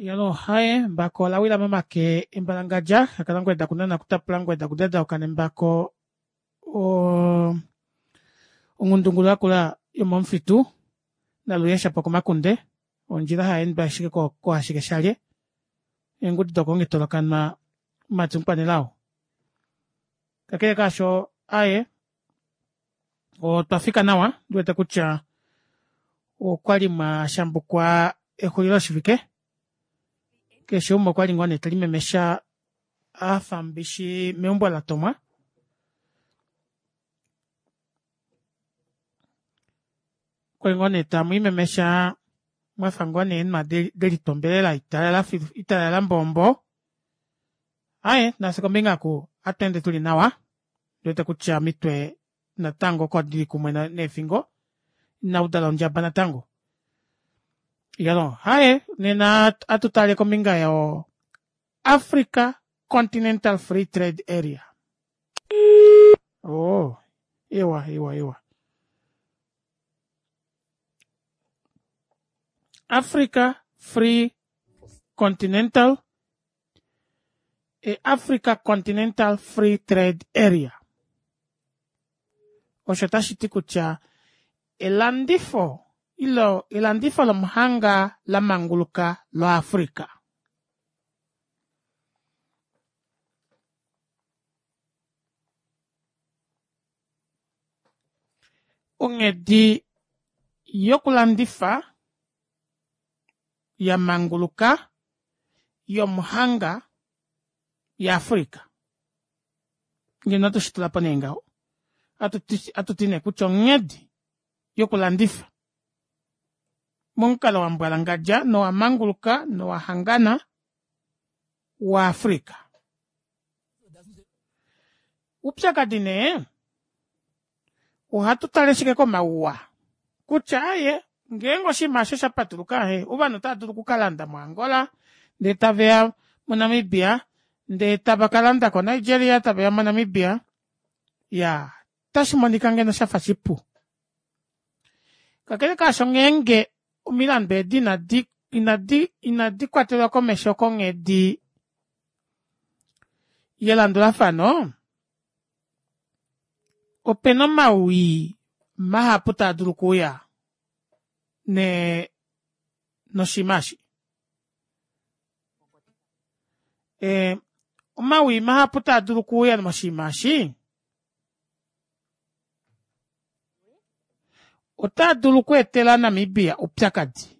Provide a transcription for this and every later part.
Iyaloo haye embako ola wila momake embalangadja hakala ngoo dakunana kutapula ngoo dakudadauka nembako onghundungulu yakula yomomufitu naluye shapo komakunde ondjila hayeendwa ashike koohashike shalye eengudi dokonghitolokanwa mumati mukwanelao kakele kaasho aaye otwa fika nawa ondiwete kutya okwali mwashambukwa exulilo shivike keshe umwe okwali ngoo nee telimemesha afa mbishi meumbo latomwa okwali ngoo nee tamwiimemesha mwafa ngoo nee eenhwa delitwa ombelela italala filu italala mbombo aaye nafye kombinga oku ohatweende tuli nawa ondiwete kutya omitwe natango oko dili kumwe neefingo inaudala ondjaba natango iyaloo haye nena atutale kombinga yo Africa Continental Free Trade Area oh ewa ewa ewa Africa Free Continental Africa Continental Free Trade Area osho tashi ti kutya elandifo ilo elandifo lomuhanga la manguluka loAfrica. Onghedi yokulandifa ya manguluka yomuhanga yaAfrica. Ngeno ohatu shi tula po nee ngaho. Ohatu ti nee kutya onghedi yokulandifa momukalo wa mbwalangadja nowa manguluka nowa hangana waAfrica. Oupyakadi nee ohatu tale shike komauwa kutya aye ngeenge oshinima osho sha patuluka he ovanhu otava dulu okukalanda moAngola ndee taveya moNamibia ndee tava kalanda koNigeria taveya moNamibia ya otashi monika ngeno shafa shipu kakele kaasho ngeenge omilandu edi inadi inadi inadi kwatelwa komesho konghedi yelandulafano opena omawii mahapu taa dulu okuuya ne noshinima eshi. E, omawii mahapu taa dulu okuuya moshinima eshi otaa dulu okweetela Namibia oupyakadi.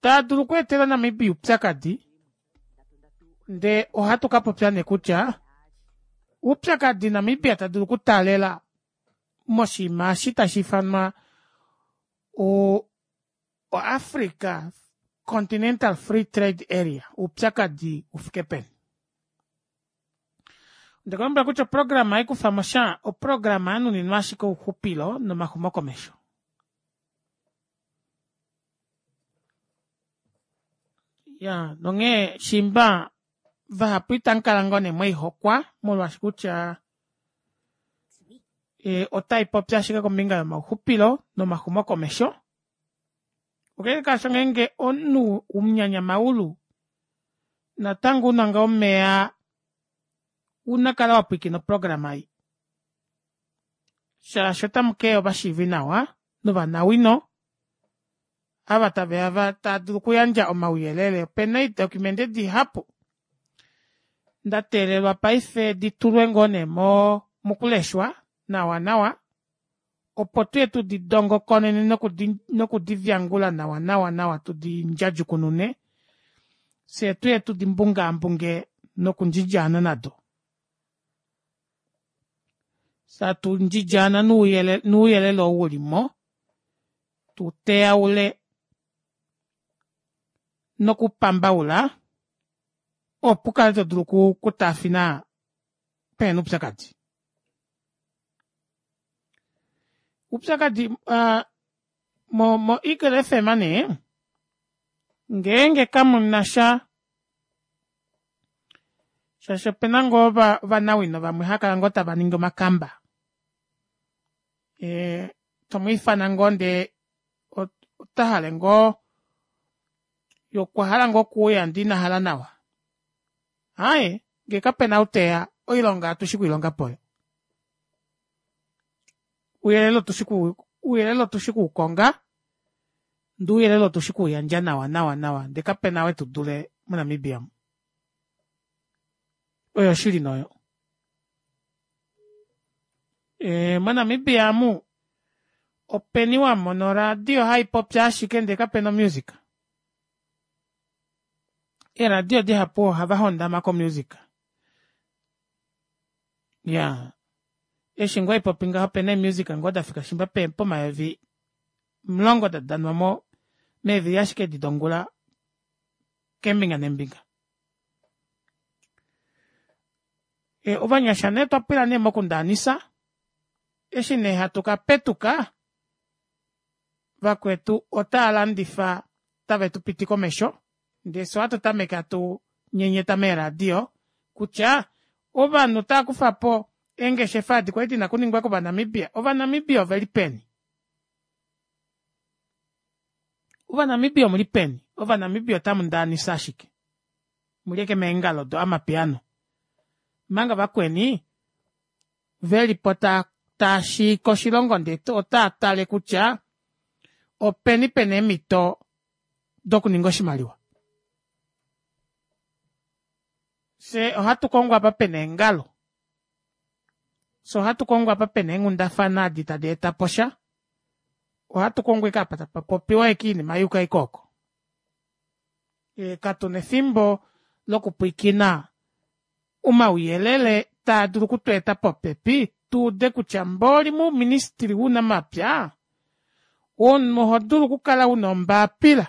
Taa dulu okweetela Namibia oupyakadi ndee ohatu ka popya nee kutya oupyakadi Namibia ta dulu okutaalela moshinima eshi tashi ifanwa o Africa Continental Free Trade Area oupyakadi ufike peni. Onde ku lombwela kutya oprograma hai kufa mo sha oprograma ya nuninwa ashike ouxupilo nomaxumokomesho. Ya, nonghee shimba vahapu itamu kala ngoo nee mweihokwa molwaashi kutya e, otai popi ashike kombinga yomauxupilo nomaxumokomesho. Okeke kaasho ngeenge omunhu omunyanyamaulu natango una ngaa omeya una kala wa pwiikina oprograma ei shaashi otamu keya ovashiivi nawa novanawino ava taveya va taa dulu okuyandja omauyelele opena eedocumente dihapu nda teelelwa paife di tulwe ngoo nee mo mokuleshwa nawa nawa opo tuye tu di dongokonene nokudi nokudi vyangula nawa nawa nawa tu di ndjadjukunune fye tuye tu di mbungaambunge nokundjidjaana nado Tatu ndjidjaana nuuyelele ou wu li mo, tu teyaule nokupambaula opo u kale to dulu okutaafina pehena oupyakadi. Oupyakadi uh, mo, mo Eagle FM nee ngeenge kamu na sha shaashi opena ngoo ovanawino vamwe hava kala ngoo tava ningi omakamba. Eh, tomwiifana ngoo ndee ota hale ngoo ye okwa hala ngoo okuuya ndee ina hala nawa. Aaye ngee kapena ou teya oilonga otushi okwiilonga po. Ouyelele otushi ouyelele otushi okuukonga ndee ouyelele otushi okuuyandja nawa nawa nawa ndee kapena ou etudule moNamibia omu. Oyo oshili nee oyo. E, moNamibia amu openi wamona oradio haipopi ashike ndee kapena omusic? Eeradio dihapu ohava hondama ko music. Iyaa eshi ngoo haipopi ngaho opena eemusic ngoo dafika shiimba pomayovi 10 dadanwa mo meevili ashike edi dongula keembinga neembinga. Ovanyasha nee otwa pwila nee mokundaanisa eshi nee hatu kapetuka vakwetu otaalandifa tave tupiti komesho ndee fyee ohatu tameke hatu nyenyeta meeradio kutya ovanhu otava kufapo eengeshefa edi kwali dina okuningwa kova Namibia, ova Namibia oveli peni? Ova Namibia omuli peni? Ova Namibia otamu ndaanisa ashike muli ashike meengalo do amapiano omanga vakweni velipo taashiika oshilongo ndee otaa tale kutya openi pena eemito dokuninga oshimaliwa. Fyee ohatu kongo apa pena eengalo, fyee ohatu kongo apa pena eenghundafana edi tadi etapo sha, ohatu kongo ashike apa tapa popiwa ashike oinima yuuka ashike ooko. Katuna efimbo lokupwiikina omauyelele taa dulu okutweeta popepi tuude kutya mboli mouministry wounamapya omunhu oho dulu okukala una ombaapila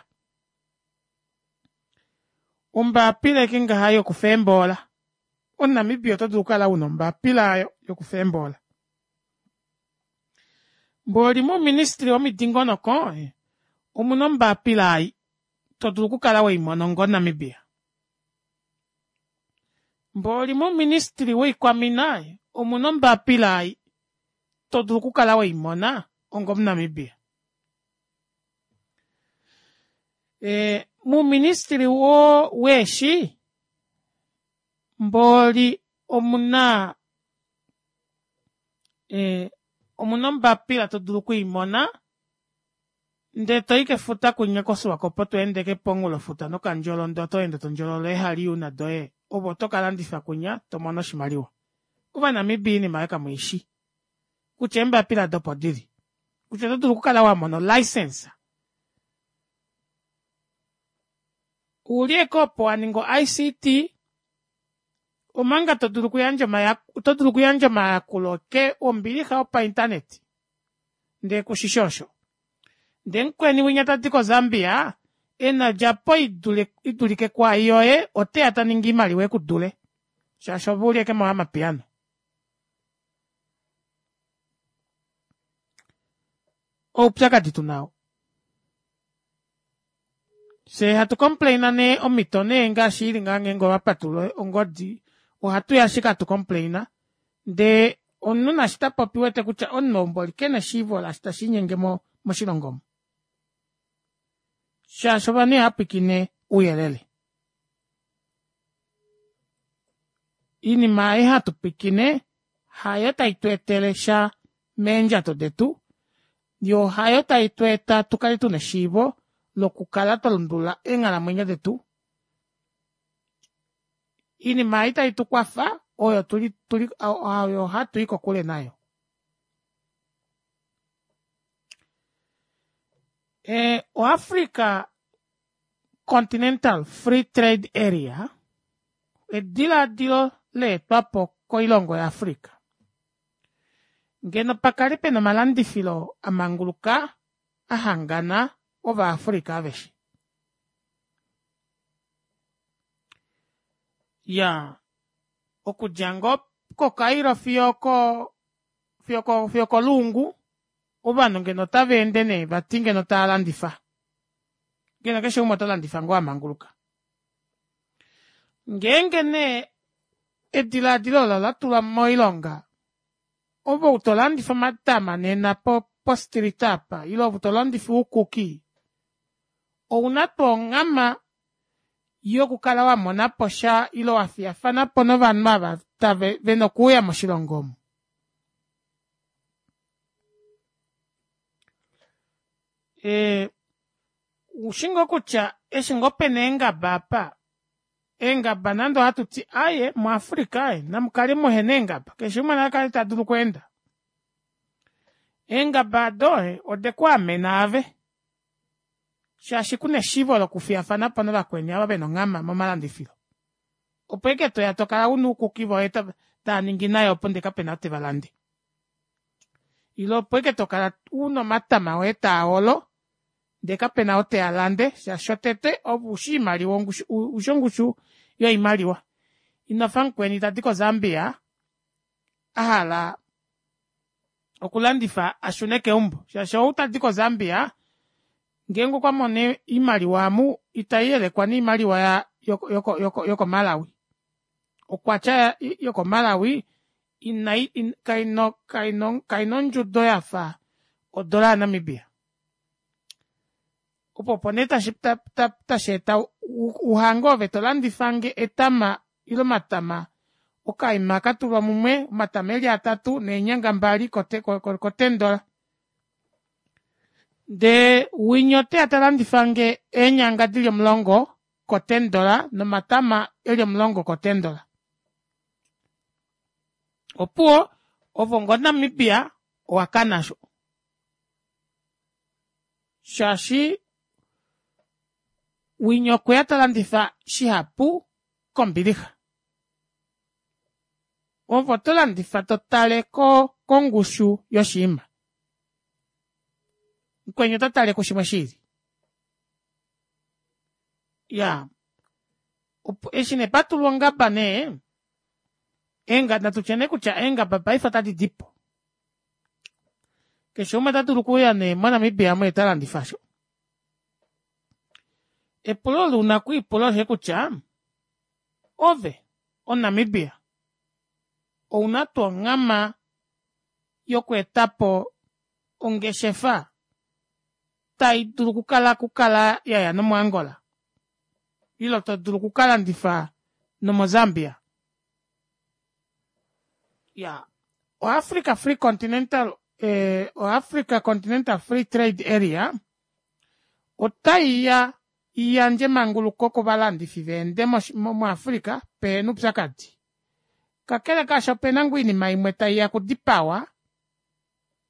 ombaapila ashike ngaha yokufa eemboola omunamibia oto dulu okukala una ombaapila aayo yokufa eemboola mboli mouministry womidingonoko omuna ombaapila ai to dulu okukala weimona onga omunamibia Mboli mouministili woikwamina omuna ombapila ei to dulu okukala weimona onga omuNamibia. E, mouministili wo weeshi mboli omuna e, omuna ombapila to dulu okwiimona Ndee toyi kefuta kwinya koSwakopo to ende ke pomunghulofuta nokandjolo ndee oto ende tondjolola eehaliuna doye ove oto kalandifa kwinya tomono oshimaliwa. Ovanamibia oinima aayo kamuishi kutya eembapila ado opo dili kutya oto dulu okukala wamona o licence uli ashike opo waninga o ICT omanga todulu okuyandja oto dulu okuyandja omayakulo ke ombilixa opa internet ndee kushishi osho. Ndee mukweni winya tadi ko Zambia ena odjapo idulike kwaai yoye oteya taningi oimaliwa ekudule shaashi ove uli ashike mo amapiano. Oupyakadi tuna oo. Fyee hatu complaina nee omito nee ngaashi ili ngaa ngeenge owa patulula ongodi ohatu ya ashike hatu complaina ndee omunhu naashi ta popi wete kutya omunhu ou mboli kena eshiivo laashi tashiinyenge moshilongo omu shaashi ovanhu ihava pwiikine ouyelele. Oinima ei hatu pwiikine hayo tai tu etele sha meendjato detu yoo hayo tai tu eta tu kale tuna eshiivo lokukala twa lundulula eenghalamwenyo detu. Oinima ei tai tu kwafa oyo tuli tuli oyo hatu i kokule nayo. E, oAfrica Continental Free Trade Area edilaadilo leetwapo koilongo yaAfrica ngeno pakale pena omalandifilo amanguluka ahangana ovaAfrica aveshe. Iyaa, okudja ngoo koCairo fiyo oko fiyo okoluungu ovanhu ngeno otava ende nee vati ngeno tava landifa. Ngeno keshe umwe ota landifa ngoo amanguluka. Ngeenge nee edilaadilo olo ola tulwa moilonga. Ove ou tolandifa omatama nena po street apa ile ove tolandifa oukuki ouna tuu onghama yokukala wamonaposha ile wafiyafanapo novanhu ava vena okuuya moshilongo omu? Ee oushi ngoo kutya eshi ngoo pena eengaba aapa eengaba nande ohatuti aaye mu africa aaye namukale muhena eengaba keshe umwe nakale tadulu okweenda eengaba aado odekwaamena aave shaashi kuna eshiivo lokufiyafanapo navakweni ava vena onghama momalandifilo opo ashike toya tokala una uukuki voye taaningi nai opo ndee kapena ou tevalande ile opo ashike tokala una omatama oye taolo ndee kapena ou teyalande shaashi shotete ove ushi oimaliwa ushi ongushu yoimaliwa inofa mukweni tadi ko zambia ahala okulandifa ashune keumbo shaashi ou tadi ko zambia ngeenge okwamono oimaliwa aamu itaiyelekwa noimaliwa yoko malawi okwatya yoko malawi kaina ondjudo yafa odola ya namibia opo opo nee tasheeta uhange ove tolandifange etama ile omatama okaima katulwa mumwe omatama eli atatu neenyanga mbali ko $10 ndee winya oteya talandifange eenyanga dili omulongo ko $10 nomatama eli omulongo ko $10 opuwo ove onga omunamibia owakana aasho shaashi winya okweya talandifa shihapu kombilixa ove otolandifa totale kongushu yoshinima mukweni otatale kushimwe shiili iyaa eshi nee patulwa ongaba nee natutye nee kutya eengaba paife ota dipo keshe umwe otadulu okuuya nee mo namibia omu yee talandifa aasho epulo olo una okwiipula osho kutya ove omunamibia ouna tuu onghama yokweetapo ongeshefa taidulu okukala yaya nomo angola ile todulu okukalandifa nomo zambia iyaa o africa free continental o africa continental free trade area otaiya iyandje emanguluko kovalandifi vaende mu africa pehena oupyakadi kakele kaasho opena ngoo oinima imwe taiya okudipawa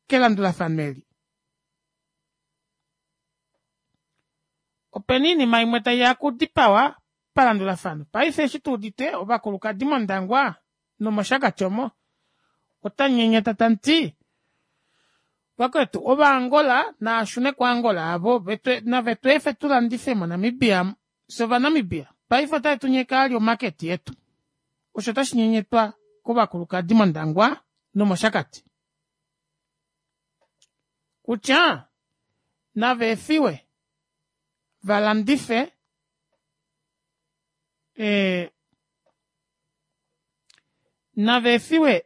kelandulafano eli opena oinima imwe taiya okudipawa palandulafano paife eshi tuudite ovakulukadi mondangwa nomoshakati omo otanyenyeta tamuti vakwetu ovaangola naashune ko angola avo navetweefe tulandife mo namibia fyee ovanamibia paife otavetunyeke vali omarket yetu osho tashi nyenyetwa kovakulukadi mondangwa nomoshakati kutya nava efiwe valandife nava efiwe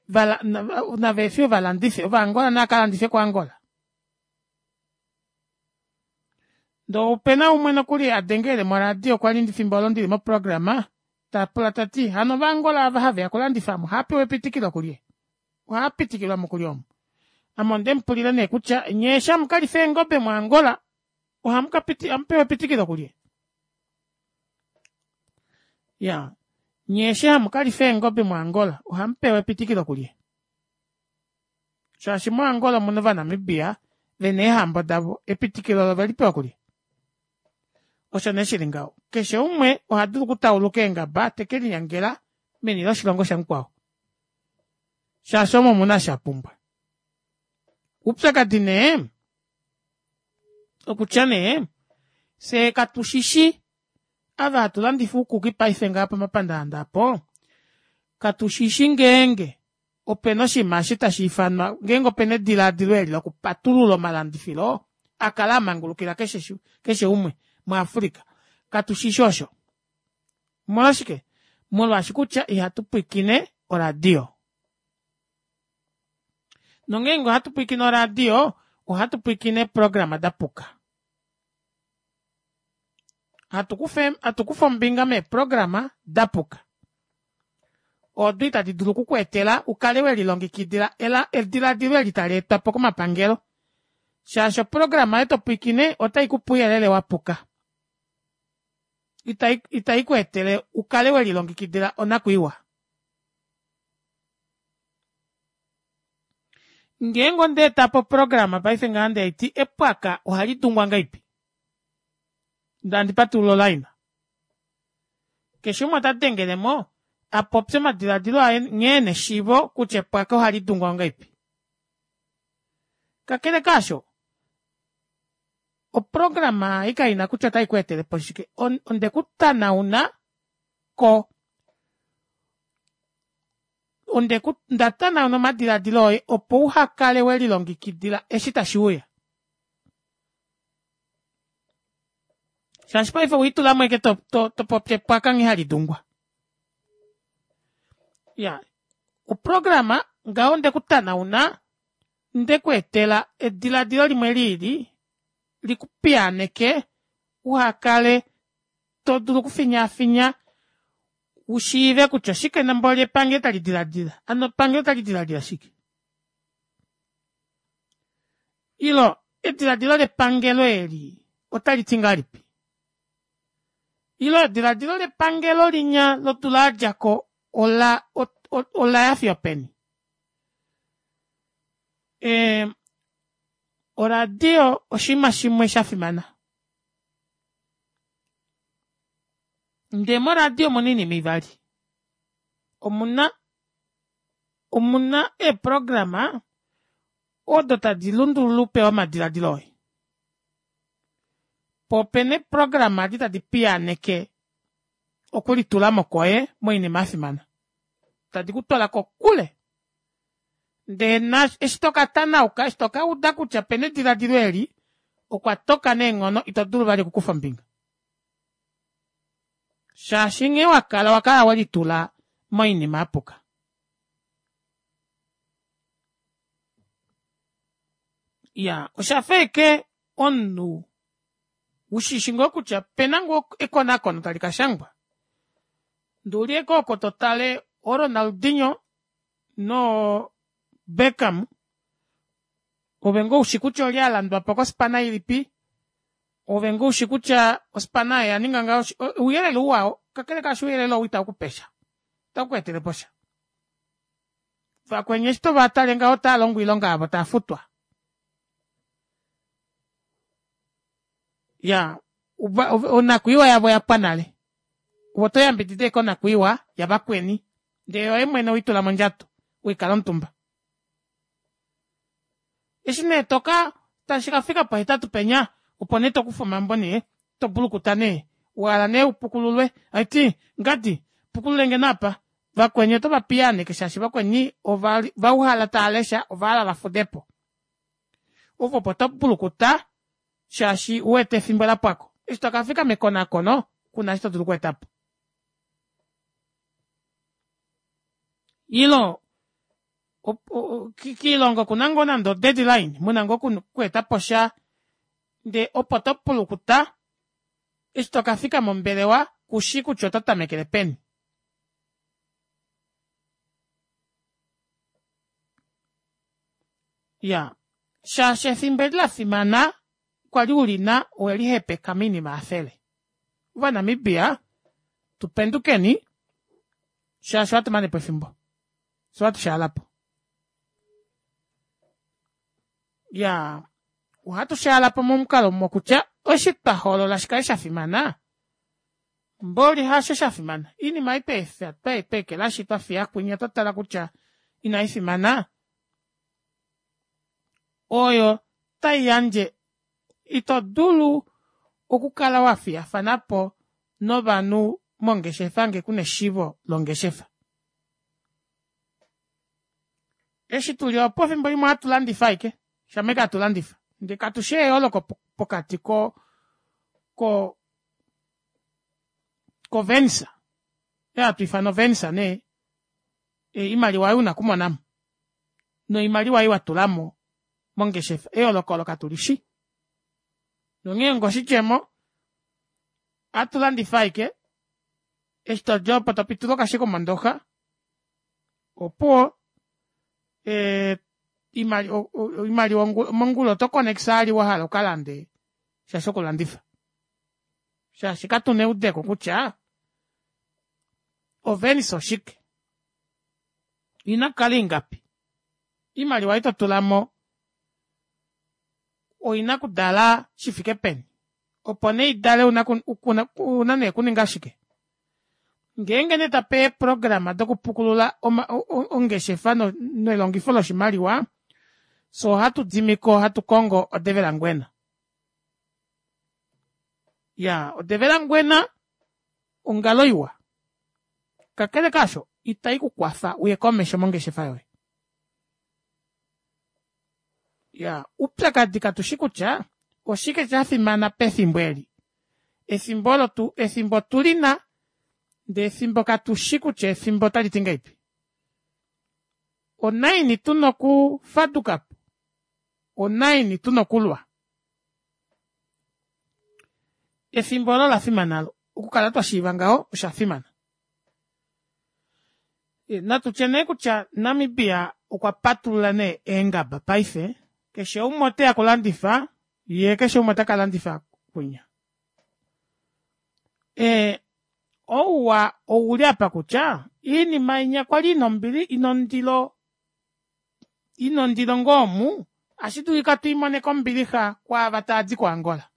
nava efiwe valandife ovaangola nava kalandife ko angola ndee opena umwe nokuli adengele moradio kwali efimbo olo ndili moprograma tapula tati hano ovaangola ava haveya okulandifa omu ohaapewa epitikilo kulye ohaapitikilwamo kulye omu ame ondemupulile nee kutya nyee eshi hamukalifa eengobe mo angola ohamupewa epitikilo kulye iyaa nyee eshi hamukalifa eengobe mo angola ohamupewa epitikilo kulye shaashi mo angola omuna ovanamibia vena eehambo davo epitikilo olo ovelipewa kulye osho nee shili ngaho keshe umwe ohadulu okutauluka eengaba tekelinyangela meni loshilongo shamukwao shaashi omo omuna eshi apumbwa oupyakadi nee okutya nee fyee katushishi ava hatu landifa uukuki paife ngaha pomapandaanda apo katushishi ngeenge opena oshinima eshi tashi ifanwa ngeenge opena edilaadilo eli lokupatulula omalandifilo akale amangulukila keshe umwe mu africa katushishi osho omolwashike molwaashi kutya ihatu pwiikine oradio. Nongeenge ohatu pwilikine oradio, ohatu pwilikine eeprograma dapuka. Hatu kufa hatu kufa ombinga meeprograma dapuka. Odo itadi dulu oku ku etela u kale we lilongekidila ediladilo eli tali etwa po komapangelo. Shaashi oprograma oyo to pwilikine otai kupe ouyelele wapuka. Itai itai ku etele u kale we lilongekidila onakwiiwa. Ngeenge onda eta po oprograma paife ngaha ndee ti epwaka ohali tungwa ngahelipi? Ndee handi patulula olaina. Keshe umwe ota dengele mo a popye omadiladilo aye nghee ena eshiivo kutya epwaka ohali dungwa ngahelipi. Kakele kaasho, oprograma ei kaina kutya otai ku etele po shike. Onde ku tanauna ko onde ku nda tanauna omadiladilo oye opo uha kale we lilongekidila eshi tashi uya. Shaashi paife owiitulamo ashike to, to, to popi epwaka nghee hali dungwa. Ya, oprograma ngaho onde ku tanauna nde ku etela ediladilo limwe liili li ku piyaaneke uha kale to dulu okufinyaafinya u shiive kutya oshike namboli epangelo tali diladila. Ano epangelo otali diladila shike? Ilo ediladilo lepangelo eli otali ti ngahelipi? Ilo ediladilo lepangelo linya lodula ya dja ko ola ola ya fiyo peni? E, oradio oshinima shimwe sha fimana. Ndee moradio omuna oinima ivali. Omuna omuna eeprograma odo tadi lundulula upe omadiladilo oye. Po opena eeprograma edi tadi piyaaneke okulitulamo kwoye moinima ya fimana. Tadi ku twala kokule. Ndee na eshi to ka tanauka, eshi to ka uda kutya opena ediladilo eli, okwa toka neenghono ito dulu vali okukufa ombinga. Shaashi nghee wa kala, owa kala we litula moinima ya puka. Iya, osha fa ashike omunhu u shi shi ngoo kutya opena ngoo ekonakono tali ka shangwa. Ndee uli ashike oko to tale ooRonaldinho nooBeckham, ove ngoo ushi kutya olye a landwa po kospana ilipi, ove ngoo ushi kutya ospana oyo oya ninga ngaho, ouyelele uwa oo, kakele kaasho ouyelele oo itau ku pe sha, itau ku etele po sha. Vakweni eshi tova tale ngaho otava longo oilonga yavo tava futwa. Ya, onakwiiwa yavo oya pwa nale. Ove oto yambidida ashike onakwiiwa yavakweni, ndee yoye mwene oitula mondjato, wikala omutumba. Eshi nee toka tashi ka fika pohetatu penya, opo nee to kufa omambo nee, to bulukuta nee, wa hala nee upukululwe, aiti ngadi pukululenge nee apa. Vakweni oto va piyaaneke shaashi vakweni ova va uhala tava lesha ova hala va fude po. Ove opo to bulukuta shaashi u wete efimbo la pwako. Eshi to ka fika mekonakono ku na eshi to dulu okweeta po. Ilo kiilonga oku na ngoo nande o-deadline mu na ngoo okweeta po sha ndee opo to pulukuta eshi to ka fika mombelewa ku shi kutya oto tamekele peni. Ya, shaashi efimbo eli la fimana kwa li u li na owe li hepeka moinima ya fele. Ovanamibia tu pendukeni shaashi ohatu mane po efimbo. Fye ohatu shaala po. Ya, ohatu shaala po momukalo mokutya eshi twa hoolola shi kale sha fimana, mboli hasho sha fimana. Oinima ei twa efa, twa ekelashi, twa fiya kwinya, twa tala kutya inai fimana, oyo tai yandje ito dulu okukala wa fiyafana po novanhu mongeshefa ngee ku na eshiivo longeshefa. Eshi tuli opo efimbo limwe ohatu landifa ashike, shama ashike hatu landifa ndee katu shi eyooloko pokati ko ko kovensa oyo hatu ifana ovensa nee, imaliwa oyo una okumonamo. Noimaliwa ei watulamo mongeshefa eyooloko olo katulishi. Nonghee onga oshidjemo ohatu landifa ashike eshi todi opo topitula okashiko mondoxa opuwo oimaliwa mongula oto konekisa vali wahala ukalande sha shokulandifa shaashi katuna eudeko kutya ovenisa oshike oina okukala ingapi oimaliwa ei totulamo oina okudala shifike peni opo nee idale ouna nee okuninga shike ngeenge nee tapeya eeprograma dokupukulula ongeshefa nelongifo loshimaliwa fyee ohatu dimiko hatu kongo odevelangwena iyaa odevelangwena ongalo iwa kakele kaasho ita ikukwafa uye komesho mongeshefa yoye. Iyaa oupyakadi katushi kutya oshike shafimana pefimbo eli efimbo olo efimbo otulina ndee efimbo katushi kutya efimbo otaliti ngahelipi onaini tuna okufadukapo onaini tuna okulwa efimbo olo olafimana alo okukala twashiiva ngaho oshafimana Natutye nee kutya Namibia okwa patulula nee eengaba paife, keshe umwe oteya okulandifa yee keshe umwe ota kalandifa kwinya. Ouwa ouli apa kutya oinima inya kwali ina ombili ina ondilo ina ondilo ngoo omu ohashi dulika tuimone kombilixa kwaava taadi ko Angola.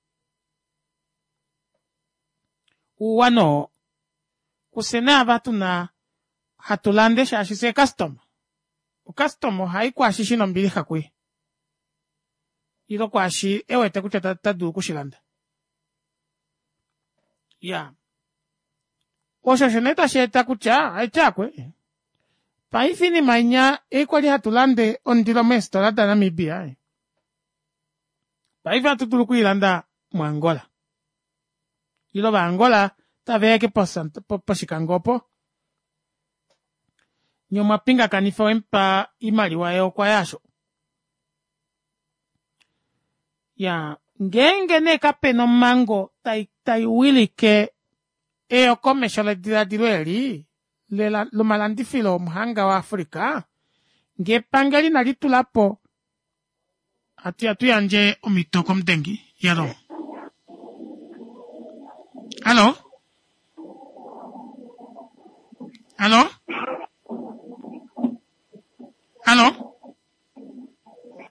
Ouwa nee oo. Kufye nee ava tuna hatu lande shaashi fyee eecustoma. Ocustoma ohai kwaashi shina ombilixa kuye ile kwaashi e wete kutya ota dulu okushilanda. Iyaa osho osho nee tashi eta kutya haiti akwe paife oinima inya ei kwali hatu lande ondilo meefitola daNamibia paife ohatu dulu okwiilanda moAngola. Ile Ovaangola taveya ashike pOshikango opo, nye omwa pingakanifa owemupa oimaliwa ye okwa ya aasho. Iyaa ngeenge nee kapena omhango tai wilike eyokomesho ledilaadilo eli lomalandifilo omuhanga wa Africa, ngee epangelo inali tulapo Ati atu yandje omhito komudengi. Yalo. Hallo. Hallo. Hallo.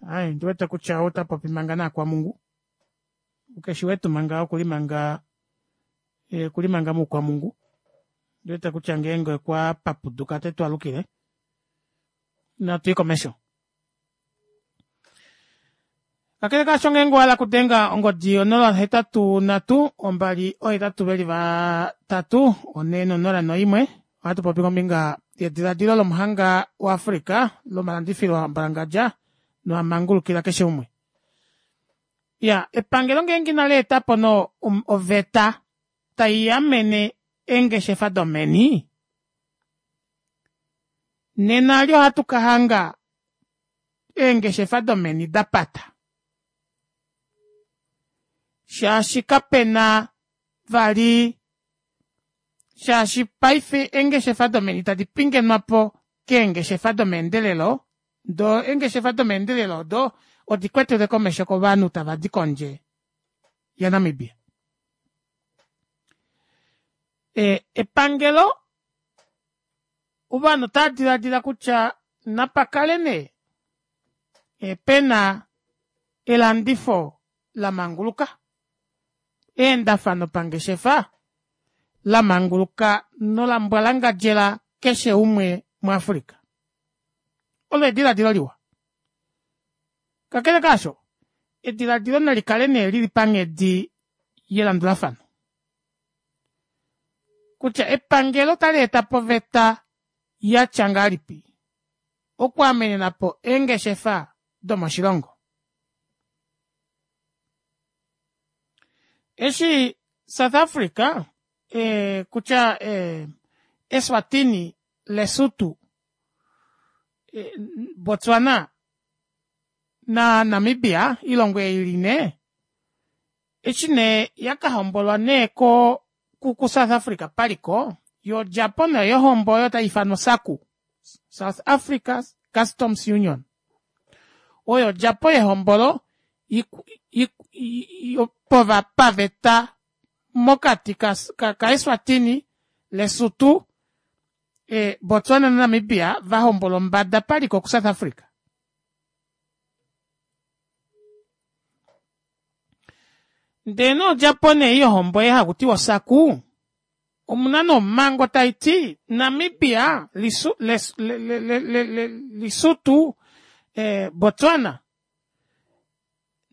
Ai, ndi wete kutya ota popi manga naakwamungu. Keshi wetu manga okuli manga eh, okuli manga muukwamungu. Ndi wete kutya ngeenge okwa papuduka te tu alukile. Natu ye komesho. Kakele kaasho ngeenge owa hala okudenga ongodi 083 283 401 ohatu popi kombinga yediladilo lomuhanga waAfrica lomalandifilo ambalangadja noamangulukila keshe umwe. Ya epangelo ngeenge inali eta po no um, oveta tai amene eengeshefa domeni nena ali ohatu ka hanga eengeshefa domeni da pata shaashi kapena vali shaashi paife eengeshefa domeni tadi pingenwa po keengeshefa domeendelelo doo eengeshefa domeendelelo odo odi kwetele komesho kovanhu tava di kondje yaNamibia. E, epangelo Ovanhu otava diladila kutya napa kale nee pe na elandifo la manguluka, eendafano pangeshefa la manguluka nola mbwalangadjela keshe umwe muAfrica. Olo ediladilo liwa. Kakele kaasho, ediladilo nali kale nee li li panghedi yelandulafano. Kutya epangelo otali eta po oveta ya tya ngahelipi okuamenena po eengeshefa domoshilongo. Eshi South Africa e, kutya e, Eswatini, Lesotho, Botswana na Namibia oilongo ei ili nee eshi nee yakahombolwa nee ko ku South Africa paliko yoo odjapo nee yohombo oyo taifanwa SACU South Africa Customs Union oyo odjapo yehombolo paveta mokati ka Eswatini, Lesotho, Botswana na Namibia vahombolwa ombada paliko ku South Africa. Ndee nee odjapo nee yohombo ei hakutiwa oSACU omuna nee omhango taiti Namibia, Lesotho, Botswana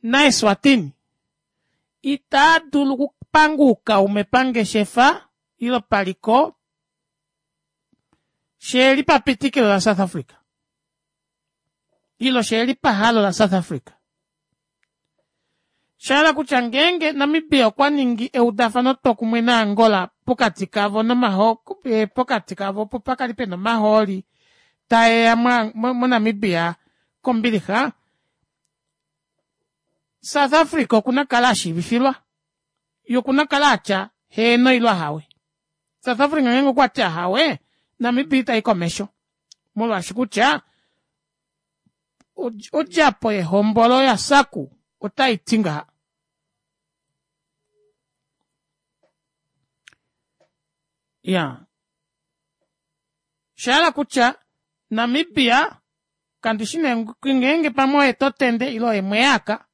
naEswatini itaa dulu okupanga oukaume pangeshefa ile paliko sheheli papitikilo la South Africa ile sheheli pahalo la South Africa. Shahala kutya ngeenge Namibia okwa ningi eudafano twokumwe naAngola pokati kavo nomaho pokati kavo opo pakali pena omahooli taeya moNamibia kombilixa, South Africa okuna okukala ashiivifilwa yee okuna okukala atya heeno ile ahawe. South Africa ngeenge okwati ahawe, Namibia itayi komesho molwaashi kutya odjapo yehombolo ya SACU otaiti ngaha. Iyaa oshahala kutya Namibia kandishi nee ngeenge pamwe oye totende ile oye mweyaaka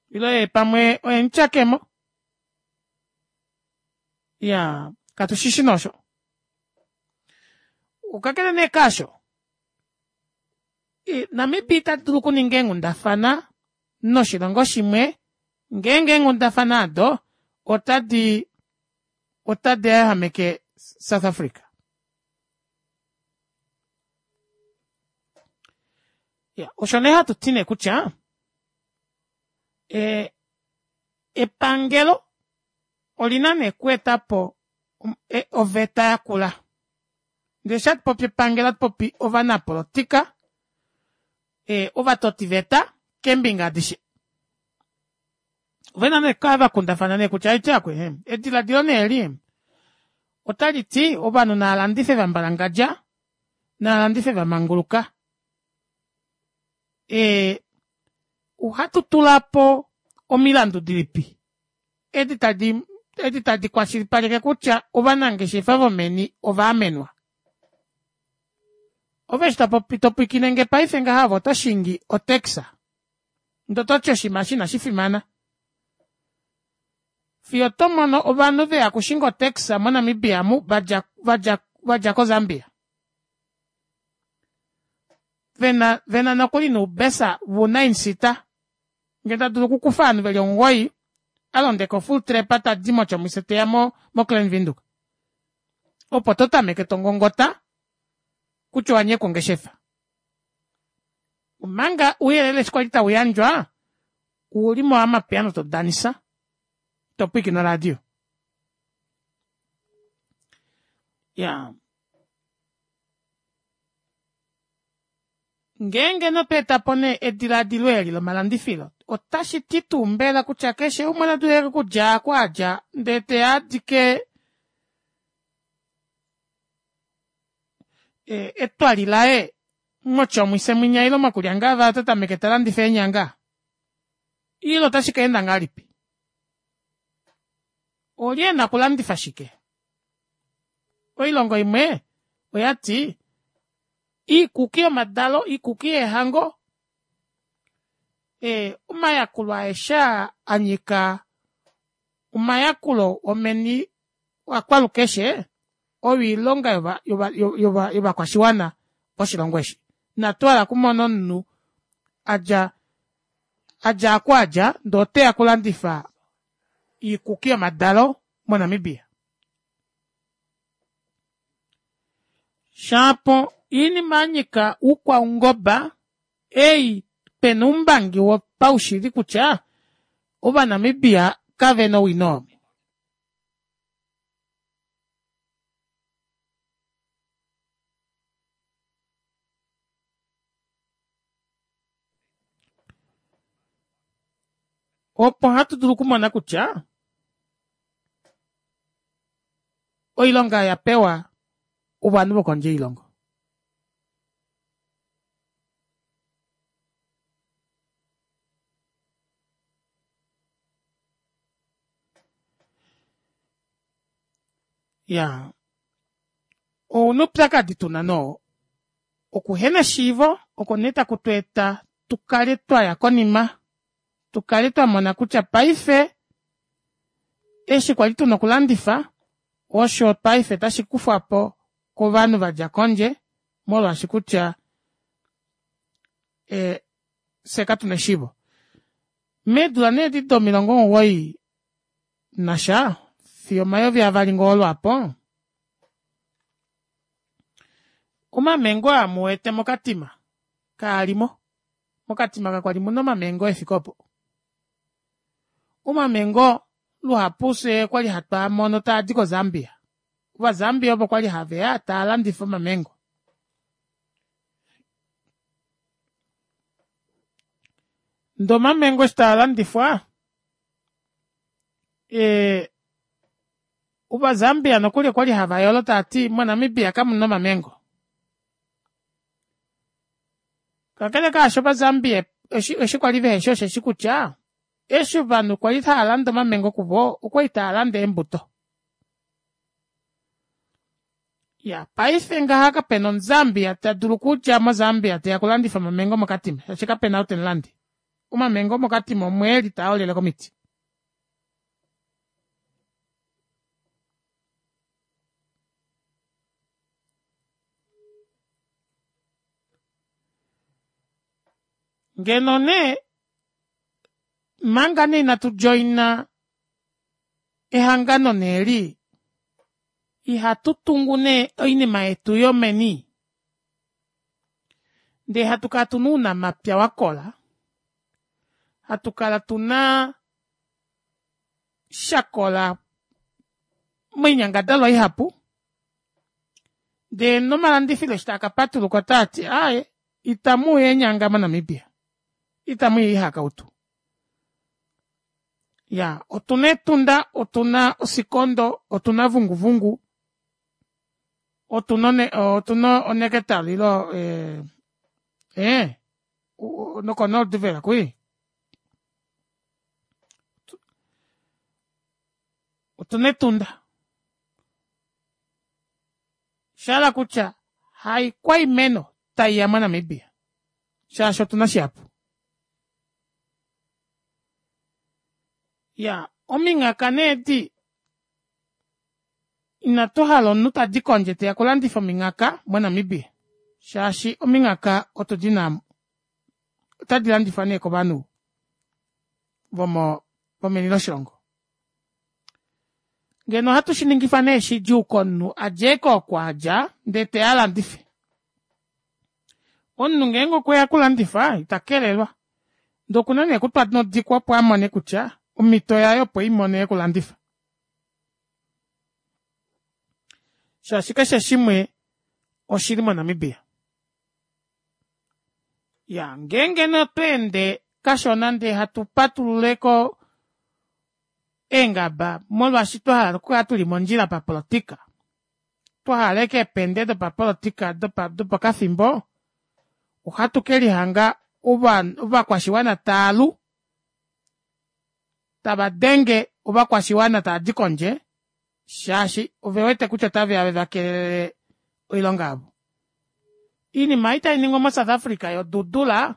ile oye pamwe oye mutyakemo iyaa katushishi nee osho. Kakele nee kaasho Namibia ita dulu okuninga eenghundafana noshilongo shimwe ngeenge eenghundafana aado otadi otadi yahameke South Africa. Osho nee hatu ti nee kutya epangelo olina nee okweetapo oveta yakula. Ndee eshi hatu popi epangelo ohatu popi ovanapolitika, ovatotiveta keembinga adishe. Ovena nee okukala vakundafana nee kutya aiti aakwee edilaadilo nee eli otaliti ovanhu naalandife vambwalangadja naalandife vamanguluka. Ohatu tulapo omilandu dilipi edi tadi edi tadi kwashilipaleke kutya ovanangeshefa vomeni ovaamenwa. Ove eshi topopi topwikinenge paife ngaha ove oto shingi otaxi ndee ototi oshinima eshi inashi fimana. Fiyo oto mono ovanhu veya okushinga otaxi mo Namibia amu vadja vadja vadja ko Zambia. Vena vena nokuli noubesa vuu nine seater ngee tadulu okukufa ovanhu veli omugoyi alondeka ofull trepa tadi motjomuise teya mo mo Klein Windhoek. Opo totameke tongongota kutya owanyekwa ongeshefa. Omanga ouyelele eshi kwali tauyandjwa ouli mo amapiano todanisa topwiikine oradio. Iyaa. Ngeenge notwa eta po nee edilaadilo eli lomalandifilo, otashi ti tuu mbela kutya keshe umwe ota dulu okudja aku a dja ndee teya a dike etwali laye mOtjomuise mwinya ile mOkuryangava ota tameke ta landifa eenyanga? Ile otashi ka enda ngahelipi? Olye e na okulandifa shike? Oilongo imwe oya ti iikuki yomadalo, iikuki yeehango, omayakulo aeshe aa a nyika omayakulo omeni akwalukeshe oyo oilonga yovakwashiwana voshilongo eshi. Inatu hala okumona omunhu adja adja aku adja ndee oteya okulandifa iikuki yomadalo moNamibia. Shapo oinima yanyika oukwaungoba ei pena oumbangi wopaushili kutya ovanamibia kavena owino oo. Opo hatu dulu okumona kutya oilonga ya pewa ovanhu vokondje yoilongo. Ya ouna oupyakadi tuna noo okuhena eshiivo oko nee taku tweeta tukale twaya konima tukale twamona kutya paife eshi kwali tuna okulandifa osho paife tashi kufwapo kovanhu vadja kondje molwaashi kutya fyee katuna eshiivo. Meedula nee edi domilongo omugoyi nasha fiyo omayovi avali ngoo lwaapo omamengo aa muwete mokatima kaalimo. Mokatima kakwali muna omamengo efike opo. Omamengo luhapu fyee okwali hatwaamono taadi ko zambia. Ova zambia ovo kwali haveya taalandifa omamengo. Ndee omamengo eshi taalandifwa ova zambia nokuli okwali havayolo taati mo namibia kamuna omamengo. Kakele kaasho ova zambia eshi kwali veheshi osheshi kutya eshi ovanhu kwali haalande omamengo kuvo okwali taalande eembuto. Iyaa paife ngaha kapena omuzambia tadulu okudja mo zambia teya okulandifa omamengo mokatima shaashi kapena ou temulande. Omamengo omokatima omweeli taaolele komiti. Ngeno nee manga nee inatu joina ehangano nee eli ihatu tungu nee oinima yetu yomeni ndee hatu kala tuna ounamapya wakola hatu kala tuna shakola moinyangadalwa ihapu ndee nomalandifilo eshi taakapatuluka otaati aaye itamuuya eenyanga mo namibia itamuya oihakautu Iyaa otuna etunda otuna osikondo otuna vunguvungu otuna otuna onectar ile ee noko noorduvela kwii otuna etunda shahala kutya haikwaimeno taiya monamibia shaashi otuna shihapu Iyaa ominghaka nee edi inatu hala omunhu tadi kondje teya okulandifa ominghaka monamibia shaashi ominghaka otu dina amu otadi landifwa nee kovanhu vomo vomeni loshilongo ngeno ohatu shiningifa nee shidjuu komunhu adje eke oko adja ndee teya alandife omunhu ngeenge okweya okulandifa ita kelelwa Ndee okuna nee okutwa nodikwa opo amone kutya omhito yaye opo eimone yokulandifa. Shaashi keshe shimwe oshili moNamibia. Ya ngeenge nee otwa ende kashona ndee hatu patululeko eengaba molwaashi twa hala okukala tuli mondjila papolitika, twa hala ashike eepende dopapolitika dopokafimbo, ohatu ke lihanga ovakwashiwana taalu tava denge ovakwashiwana tava di kondje shaashi ove wete kutya otave ya veva kelele oilonga yavo. Oinima ei tai ningwa moSouth Africa yodudula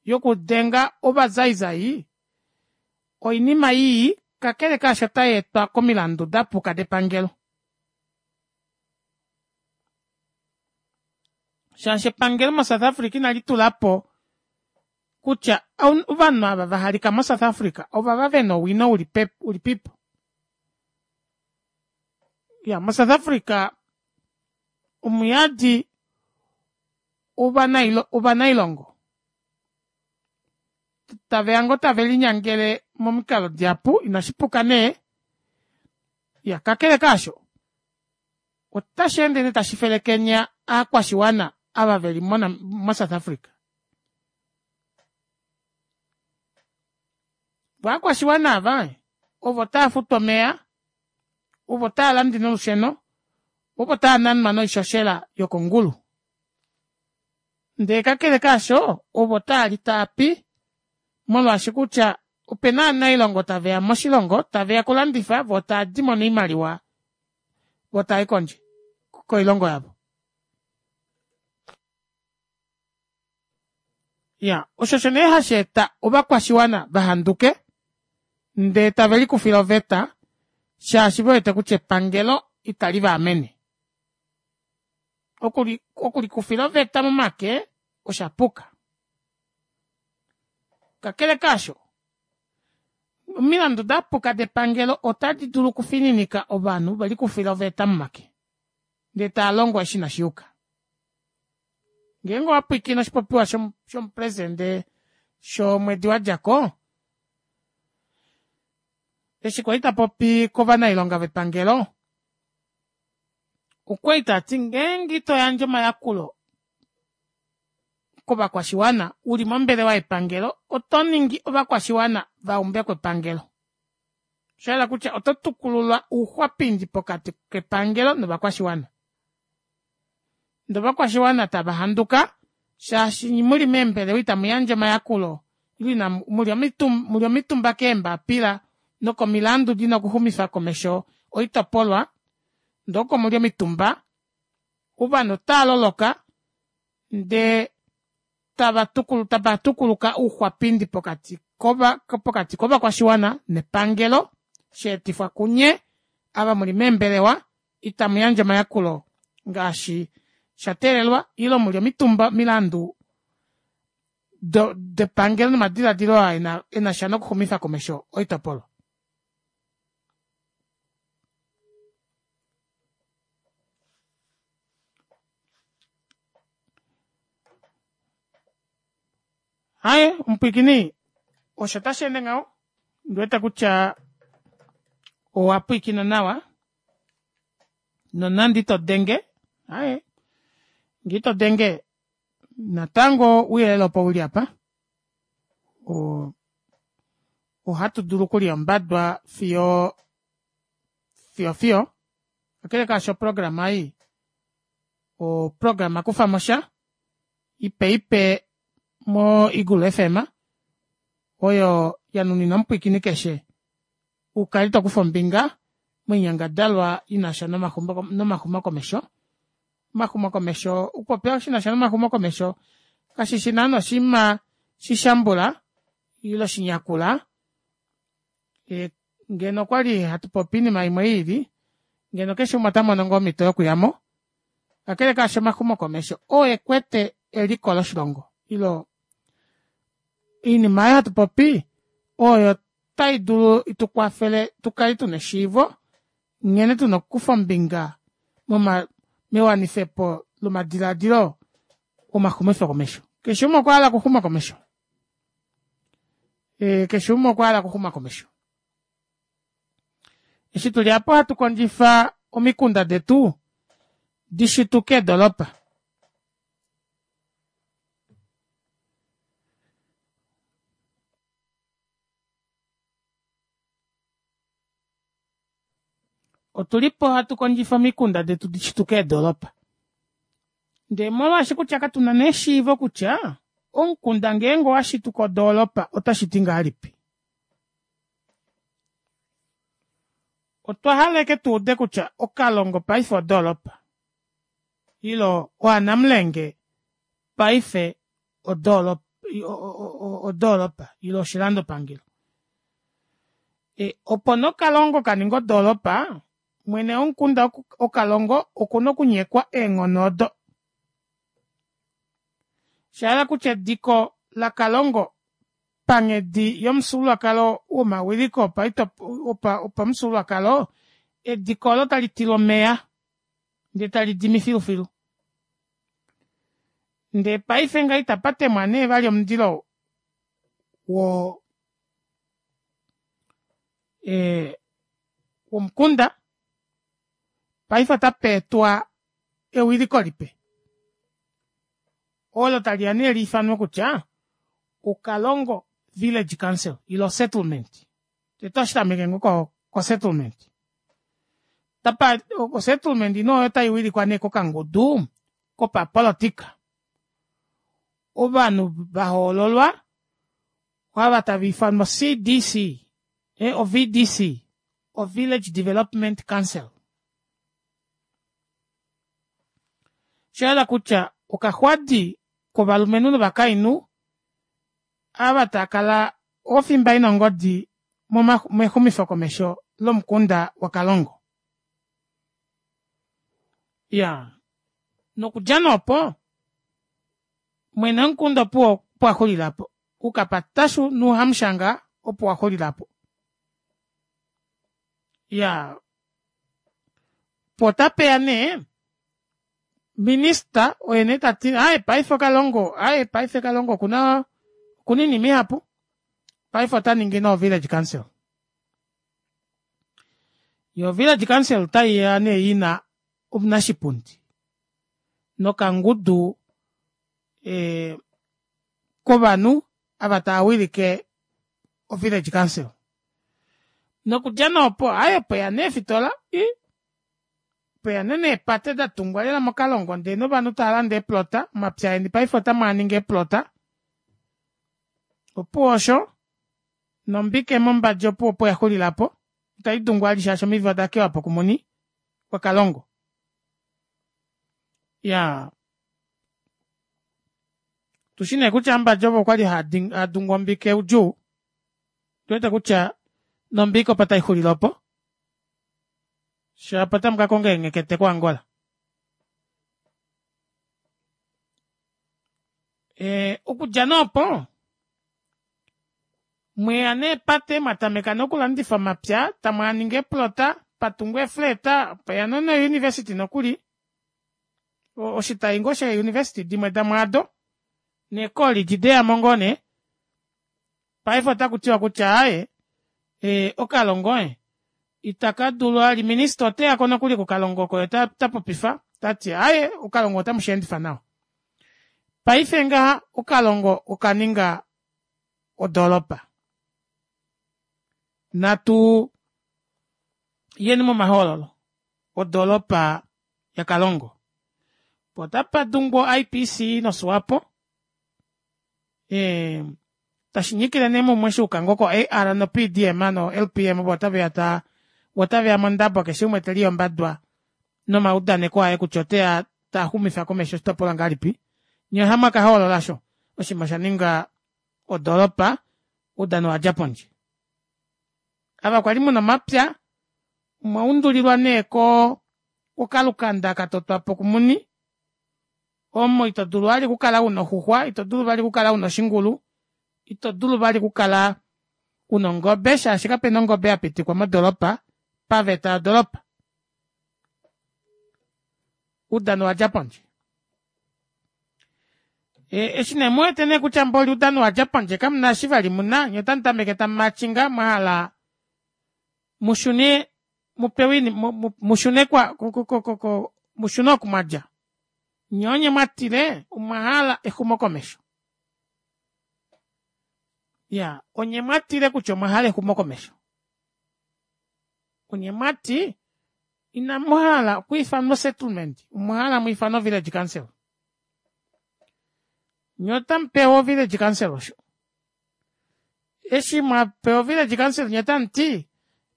yokudenga ovazaizai oinima ii kakele kaasho otai etwa komilandu dapuka depangelo. Shaashi epangelo moSouth Africa inali tula po kutya ovanhu ava va halika moSouth Africa ovava ve na owino uli uli pipo. Ya moSouth Africa omuyadi ovanailongo tave ya ngoo tave linyangele momikalo dihapu inashi puka nee ya kakele kaasho otashi ende nee tashi felekenya aakwashiwana ava veli mosouth africa. Ovakwashiwana ava ovo tava futu omeya, ovo tava lande nolusheno, ovo tava nanwa noishoshela yokongulu. Ndee kakele kaasho, ovo taali taapi molwaashi kutya opena ovanailongo taveya moshilongo taveya okulandifa voo taadimo noimaliwa voo taayi kondje koilongo yavo. Iyaa osho osho nee hasheeta ovakwashiwana vahanduke ndee tave likufile oveta shaashi vewete kutya epangelo itali vaamene. Okulikufila oveta momake oshapuka. Kakele kaasho, omilandu dapuka depangelo otadi dulu okufininika ovanhu velikufile oveta momake ndee taalongo eshi inashiyuka. Ngeenge owapwiikine oshipopiwa shomupresidente shomwedi wadjako, eshi kwali tapopi kovanailonga vepangelo, okwali tati ngeenge ito yandje omayakulo kovakwashiwana uli mombelewa yepangelo oto ningi ovakwashiwana vaumbeko epangelo. Oshahala kutya oto tukulula ouxwapindi pokati kepangelo novakwashiwana. Ndee ovakwashiwana tava handuka shaashi muli meembelewa itamu yandje omayakulo ile muli omitumba keembapila nokomilandu dina okuxumifa komesho oitopolwa ndee oko muli omitumba ovanhu otava loloka ndee tava tapatukuluka ouxwapindi pokati pokati kovakwashiwana nepangelo shaetifwa kunye ava muli meembelewa itamu yandje omayakulo ngaashi sha teelelwa ile muli omitumba omilandu depangelo nomadilaadilo aa enasha nokuxumifa komesho oitopolwa. Aaye omupwiikini osho tasheende ngaho ondiwete kutya owa pwiikina nawa nonande ito denge aaye ngee ito denge natango ouyelele opo uli apa ohatu dulu okulya ombadwa fiyo fiyo fiyo kakele kaasho oprograma ei oprograma kufamosha ipe ipe mo Eagle FM oyo ya nuninwa omupwiikini keshe ukale tokufa ombinga moinyangadalwa inasha nomaxumokomesho. Omaxumokomesho okupopya shinasha nomaxumokomesho kashishi naana oshinima shishambula ile shinyakula ngeno okwali hatu popi oinima imwe iili ngeno keshe umwe otamono ngoo omito yokuyamo kakele kaasho omaxumokomesho oo ekwete eliko loshilongo ile oinima aayo hatu popi oyo tai dulu itukwafele tukale tuna eshiivo nghene tuna okukufa ombinga mewanifepo lomadilaadilo omaxumifokomesho. Keshe umwe okwa hala okuxuma komesho. Keshe umwe okwa hala okuxuma komesho. Eshi tuli apa ohatu kondjifa omikunda detu dishituke eedolopa. Otulipo hatu kondjifa omikunda detu dishituke eedolopa. Ndee molwaashi kutya katuna nee eshiivo kutya omukunda ngeenge owashituka odoolopa otashiti ngahelipi. Otwa hala ashike tuude kutya Okalongo paife odoolopa ile Oanamulenge paife odoolopa ile oshilandopangelo. Opo nee Okalongo kaninge odoolopa mwene womukunda Okalongo okuna okunyekwa eenghono odo. Oshahala kutya ediko laKalongo panghedi yomufyuululwakalo womawiliko opamufyuululwakalo ediko olo tali tilwa omeya ndee tali dimi filufilu. Ndee paife ngaha itapa temwa nee vali omundilo wo womukunda paife otapa etwa ewiliko lipe olo taliya nee liifanwe kutya Okalongo. Village Council ile osettlement. Tete ohashi tameke ngoo kosettlement. Tapa osettlement nee oyo tai wilikwa nee kokangudu kopapolitika. Ovanhu vahoololwa ava tava ifanwa CDC, oVDC, oVillage Development Council. Oshahala kutya okaxwadi kovalumenhu novakainhu ava taakala ofimba ina ongodi mexumifokomesho lomukunda waKalongo. Iyaa nokudja nee opo mwene womukunda opuwo opo axulila aapo oukapatashu nouhamushanga opo waxulila aapo. Iyaa poo otapeya nee minister oye nee tati aaye paife okalongo aaye paife kalongo okuna okuna oinima ihapu paife otaningi nee o village council. Yoo village council otaiya nee ina omunashipundi nokangudu ee kovanhu ava taawilike o village council. Nokudja nee opo aaye opweya nee eefitola ii pweya nee neepate datungwa lela mokalongo ndee novanhu taalande eeplota omapya eni paife otamwaaningi eeplota opuwo osho nombike mombadja opuwo opo yaxulila aapo itaidungwa vali shaashi omivi odakewapo kumuni wakalongo. Iyaa otushi nee kutya ambadja ovo okwali haadungu ombike oudjuu ondiwete kutya nombike opo taixulile opo shapo otamu kakonga eenghekete ko angola. Okudja nee opo mweya neepate mwatameka nee okulandifa omapya tamwaaningi eeplota patungwa eefleta pweya no university nokuli oshitayi ngoo shee university dimwe domwaado nee college deyamo ngoo nee paife otakutiwa kutya aaye okalongo ee itakadulu vali minister oteyako nokuli kokalongo oko yee otapopifa tati aaye okalongo ota musheendifa nawa. Paife ngaha okalongo okaninga odoropa. Natu yeni momahoololo odoropa yakalongo. Poo otapadungwa o IPC noswapo tashinyikile nee mumwe shuuka ngoo ko AR no PDM no LPM ovo otaveya taa otaveya mondabo keshe umwe teliyi ombadwa nomaudaneko aye kutya oteya taxumifa komesho oshitopolwa ngahelipi nyee ohamwaka hoolola aasho oshinima oshaninga odoropa oudano owadja pondje. Ava kwali muna omapya omwa undulilwa nee koo kokalukanda katotwapo kumuni omo ito dulu vali okukala una oxuxwa ito dulu vali okukala una oshingulu ito dulu vali okukala una ongobe shaashi kapena ongobe yapitikwa modoropa paveta yodoropa. Oudano owadja pondje. Eshi nee muwete nee kutya mboli oudano owadja pondje kamuna eshi vali muna nyee otamutameke tamumatchinga mwahala mushune mupewe mushune kwa mushune oku mwadja. Nyee onye mwatile omwahala exumokomesho. Iyaa onye mwatile kutya omwahala exumokomesho. Onye mwati inamuhala okwiifanwa osettlement omwahala mwiifanwe ovillage council. Nyee otamupewa ovillage council osho. Eshi mwapewa ovillage council nyee otamuti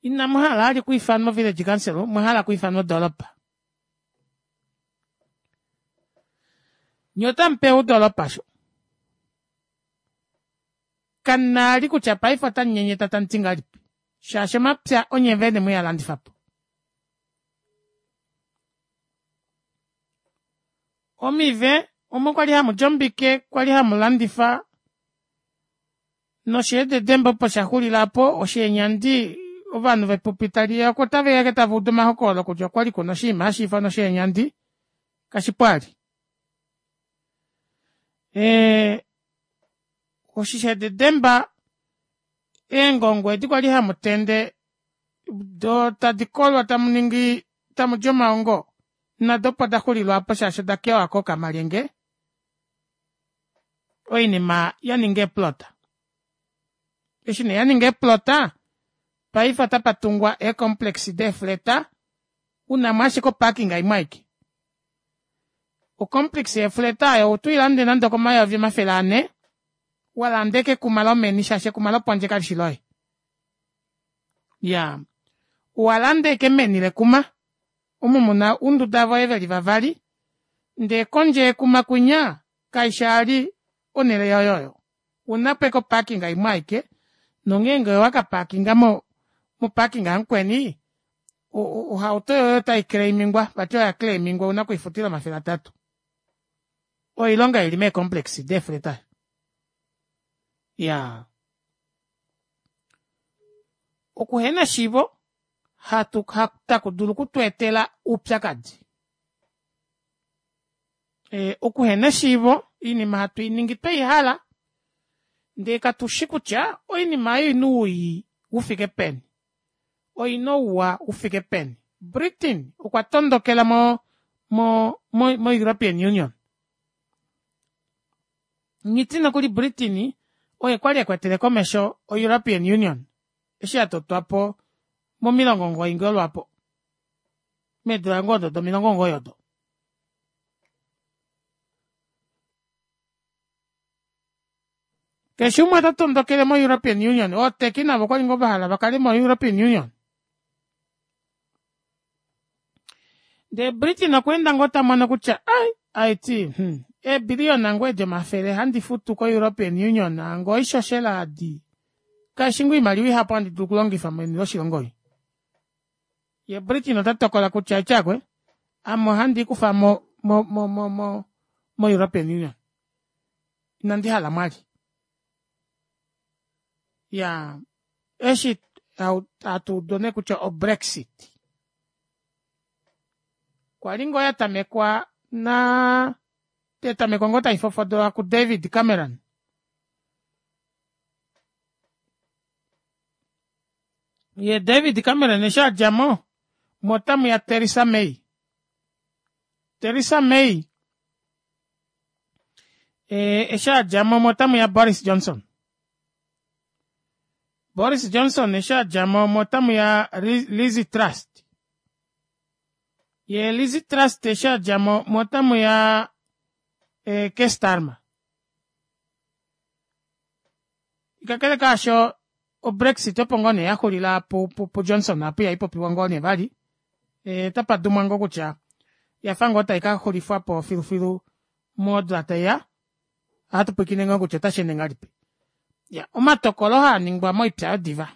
inamuhala vali okwiifanwa ovillage council omwahala okwiifanwa odoropa. Nyee otamupewa odoropa osho. Kamuna vali kutya paife otamunyenyeta tamuti ngahelipi shaashi omapya onye vene mwealandifapo. Omive omo kwali hamudi ombike kwali hamulandifa nosheededemba opo shaxulila aapo osheenyandi ovanhu vepupi taliya otaveya ashike tavaudu omahokololo kutya okwali kuna oshinima hashiifanwa osheenyandi kashipo vali. Oshishededemba eengongo edi kwali hamutende doo tadi kolwa tamuningi tamudi omaongo nado opo daxulile aapo shaashi oda kewako kookalyenge oinima yaninga eeplota. Eshi nee yaninga eeplota paife otapa tungwa eecomplex deefleta unamo ashike oparking imwe aike. Ocomplex yeefleta oyo otwiilande nande okomayovi 400 walanda ashike ekuma lomeni shaashi ekuma lopondje kalishi loye. Iyaa owalanda ashike meni lekuma omo muna ounduda voye veli vavali ndee kondje yekuma kwinya kaishi vali onele yoye oyo ounapo ashike oparking imwe aike nongeenge owaka parkinga mo parking yamukweni ohauto yoye ota claimingwa vati oya claimingwa ouna okwiifutila 300 oyo oilonga ili mee complex deefleta iyaa okuhena eshiivo hatu takudulu okutweetela oupyakadi okuhena eshiivo oinima hatu iningi tweihala ndee katushi kutya oinima ei oina owii ufike peni oina ouwa ufike peni Britain okwa tondokela mo mo mo european union nghiti nokuli Britain oye kwali ekwetele komesho o european union eshi yatotwapo momilongo omugoyi ngoo lwaapo meedula ngoo odo domilongo omugoyi odo. Keshe umwe ota tondokele mo-European Union. Ooteki navo okwali ngoo vahala vakale mo-European Union. Ndee Britain okwa enda ngoo tamono kutya ai aiti hmm, eebiliyona ngoo edi omafele handi futu ko-European Union ngoo oishoshela adi kaishi ngoo oimaliwa ihapu handi dulu okulongifa meni loshilongo ei. Ye Britain ota tokola kutya etyakwe ame ohandi ikufa mo mo mo mo mo mo-European Union. Inandi hala mwali. Ya eshi hatu udu nee kutya oBrexit. Kwa li ngoo ya tamekwa na ya tamekwa ngoo tai fofodolwa kuDavid Cameron. Ye David Cameron eshi a dja mo, mo otamu ya Theresa May. Theresa May eshi a dja mo, mo otamu ya Boris Johnson. Boris Johnson eshi a dja mo, mo otamu ya Liz Truss. Ye Liz Truss eshi a dja mo, mo otamu ya Keir Starmer. Kakele kaasho, oBrexit opo ngoo nee yaxulila puJohnson apo iha ipopiwa ngoo nee vali. Otapa dumwa ngoo kutya yafa ngoo tai ka xulifwapo filufilu modula taiya. Ohatu pwilikine ngoo kutya otashi ende ngahelipi. Ya, omatokolo haa ningwa moipya yodiva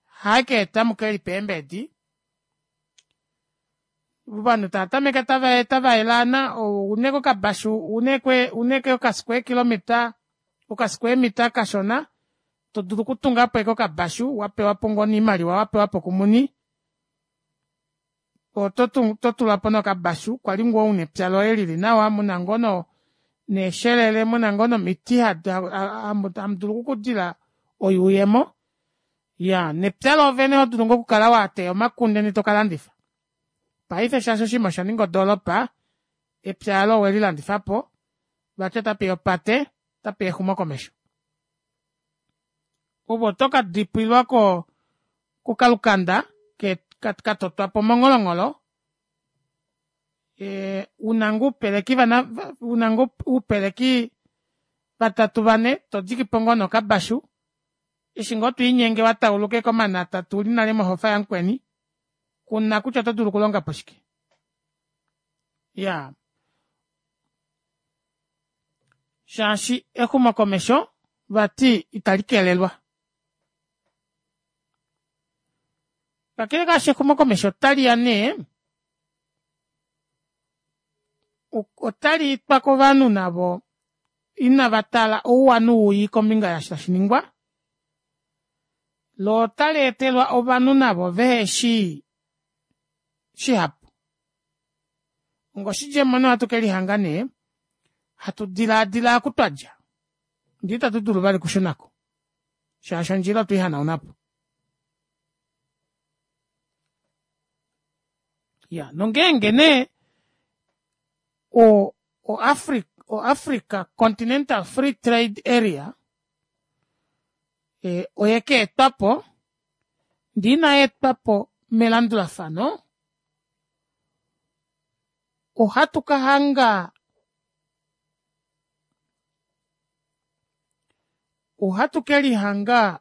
hae keeta muke lipe eembedi. Ovanhu tava tameke tava elaana oune kokabashu une okasquare kilometer okasquare meter kashona to dulu okutungapo ashike okabashu wapewapo ngoo oimaliwa wapewapo kumuni oto tulapo nee okabashu kwali ngoo una epya loye lili nawa muna ngoo neeshelele muna ngoo nomiti hamu dulu okukudila oyuuyemo iyaa nepya loovene oto dulu ngoo okukala wateya omakunde ndee tokalandifa paife shaashi oshinima osha ninga odoropa epya olo owelilandifapo vati otapeya opate otapeya exumokomesho ove oto ka dipwilwa ko kokalukanda katotwapo mongholongholo una ngoo oupeleki una ngoo oupeleki vatatu vane todikipo ngoo nee okabashu eshi ngoo twiinyenge watauluka ashike omanata uli nale mohofa yamukweni kuna kutya oto dulu okulongapo shike iyaa shaashi exumokomesho vati itali kelelwa. Kakele kaasho exumokomesho otali ya nee otali etwa kovanhu navo inava tala ouwa nouwii kombinga yaashi tashi ningwa, lo otali etelwa ovanhu navo veheshi shihapu. Ongoshidjemo nee ohatu kelihanga nee hatu dilaadila oku twadja ndee itatu dulu vali okushunako shaashi ondjila otwe ihanaunapo. Ya nongeenge nee o o Africa Continental Free Trade Area. Oyekeetwapo ndee inayeetwapo melandulafano ohatu kahanga ohatu kelihanga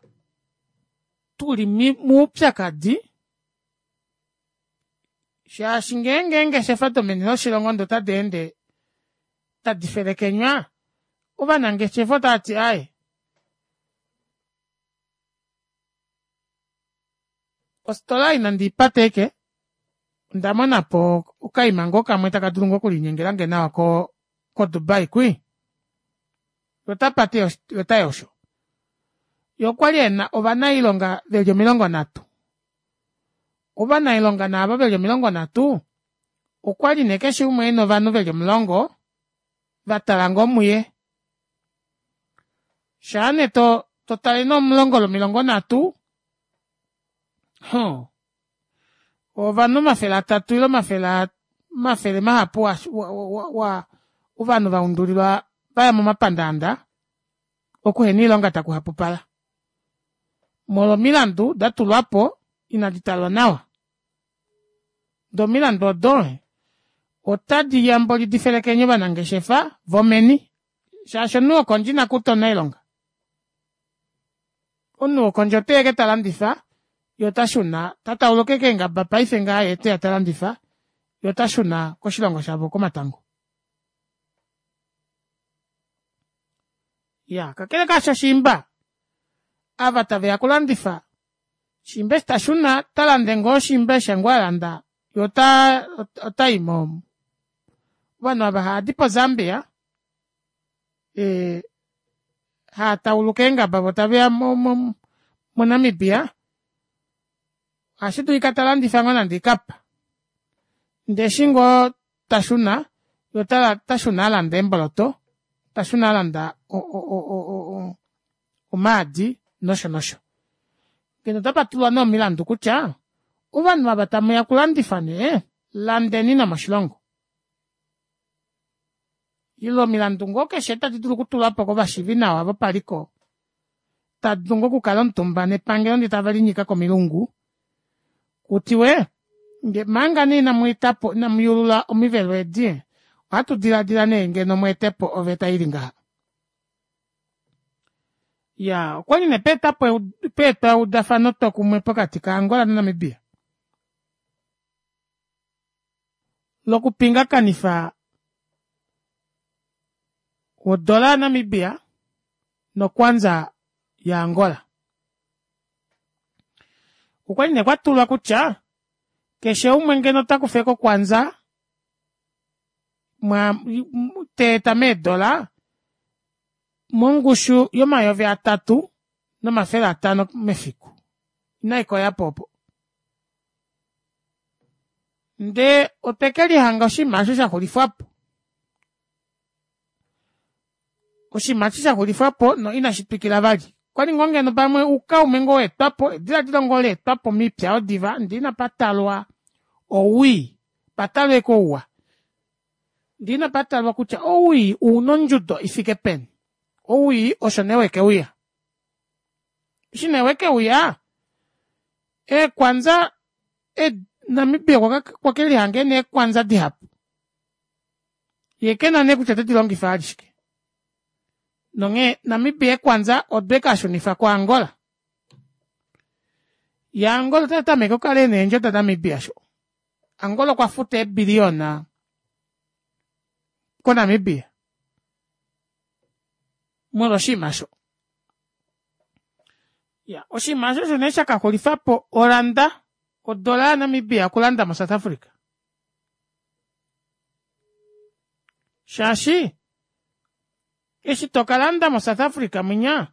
tuli moupyakadi shaashi ngeenge eengeshefa domeni loshilongo ndee ota deende tadi felekenywa ovanangeshefa otaati aaye Ofitola ei nandi ipate ashike ondamonapo okaima ngoo kamwe taka dulu ngoo okulinyengelange nawa ko ko dubai kwii yee otapate yee otayi osho yee okwali ena ovanailonga veli 30. Ovanailonga nee aavo veli 30 okwali nee keshe umwe ena ovanhu veli 10 vatala ngoo muye shaa nee totale nee 10 lwomilongo nhatu huh ovanhu 300 ile omafele mahapu ovanhu vaundulilwa vaya momapandaanda okuhena oilonga takuhapupala molwo omilandu datulwapo ina ditalwa nawa doo omilandu odo otadiya mboli difelekenye ovanangeshefa vomeni shaashi omunhu wokondje inakuta omunailonga omunhu wokondje oteya ashike talandifa yee otashuna tatauluka ashike eengaba paife ngaha yee oteya talandifa yee otashuna koshilongo shavo komatango. Iyaa kakele kaasho shiimba ava taveya okulandifa shiimba eshi tashuna otalande ngoo shiimba eshi ngoo alanda yee otayi mo ovanhu ava haadi po zambia haatauluka eengaba voo taveya mo mo namibia ohashidulika talandifa ngoo nande oikapa ndee eshi ngoo tashuna yee otashuna alanda eemboloto tashuna alanda omaadi nosho nosho. Ngeno otapatulwa nee omilandu kutya ovanhu ava tamuya okulandifa nee landeni nomoshilongo ile omilandu ngoo keshe tadi dulu okutulwapo kovashiivinawa vopaliko tadulu ngoo okukala omutumba nepangelo ndee tavelinyika komilungu kutiwe manga nee inamweetapo inamuyuulula omivelo edi ohatu dilaadila nee ngeno mweetepo oveta ili ngaha. Iyaa okwali nee paetapo paetwa eudafano twokumwe pokati ka angola na namibia lokupingakanifa odola ya namibia nokwanza ya angola. Okwali nee kwatulwa kutya keshe umwe ngeno otakufa ashike okwanza teeta meedola mongushu yo-3500 mefiku inaikoyapo opo ndee otwekelihanga oshinima aasho shaxulifwapo oshinima eshi shaxulifwapo no ina shitwikila vali okwali ngoo ngeno pamwe oukaume ngoo waetwapo edilaadilo ngoo laetwapo mipya aayo diva ndee inapatalwa owii patalwe ashike ouwa ndee inapatalwa kutya owii ouna ondjudo ifike peni owii osho nee wekeuya eshi nee wekeuya eekwanza namibia okwekelihanga ena eekwanza dihapu yee kena nee kutya otedilongifa vali shike nonghee namibia eekwanza odwe kashunifa ku angola yee angola otatameke okukala ena eendjo da namibia sho angola okwa futa eebilliona ko namibia molwa oshinima osho. Iya oshinima aasho osho nee shakaxulifapo oranda odola ya namibia okulanda mo south africa shaashi eshi tokalanda mo south africa munya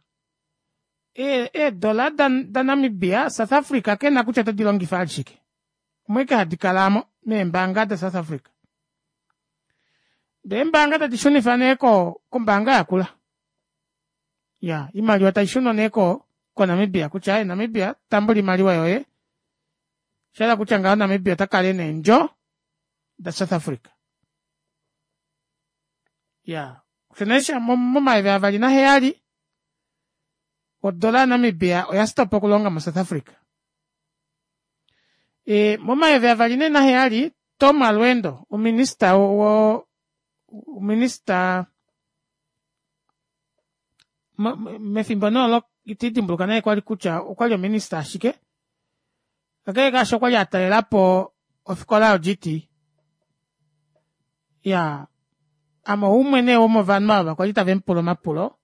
eedola danamibia south africa kena kutya otedilongifa vali shike omo ashike hadi kala aamo meembanga da south africa ndee eembanga tadi shunifa nee kombaanga yakula Iyaa oimaliwa taishunwa nee ko konamibia kutya aaye namibia tambula oimaliwa yoye oshahala kutya ngaho namibia otakala ena eendjo da south africa iyaa osho nee momayovi avali naheyali. Odola yaNamibia oya stopa okulonga moSouth Africa. E, momayovi avali nee naheyali Tom Alweendo ominista wo ominista mefimbo nee olo iti dimbuluka naye kwali kutya okwali ominista ashike kakele kaasho okwali a talela po ofikola yoGT ya ame oumwe nee womovanhu ava kwali tave mu pula omapulo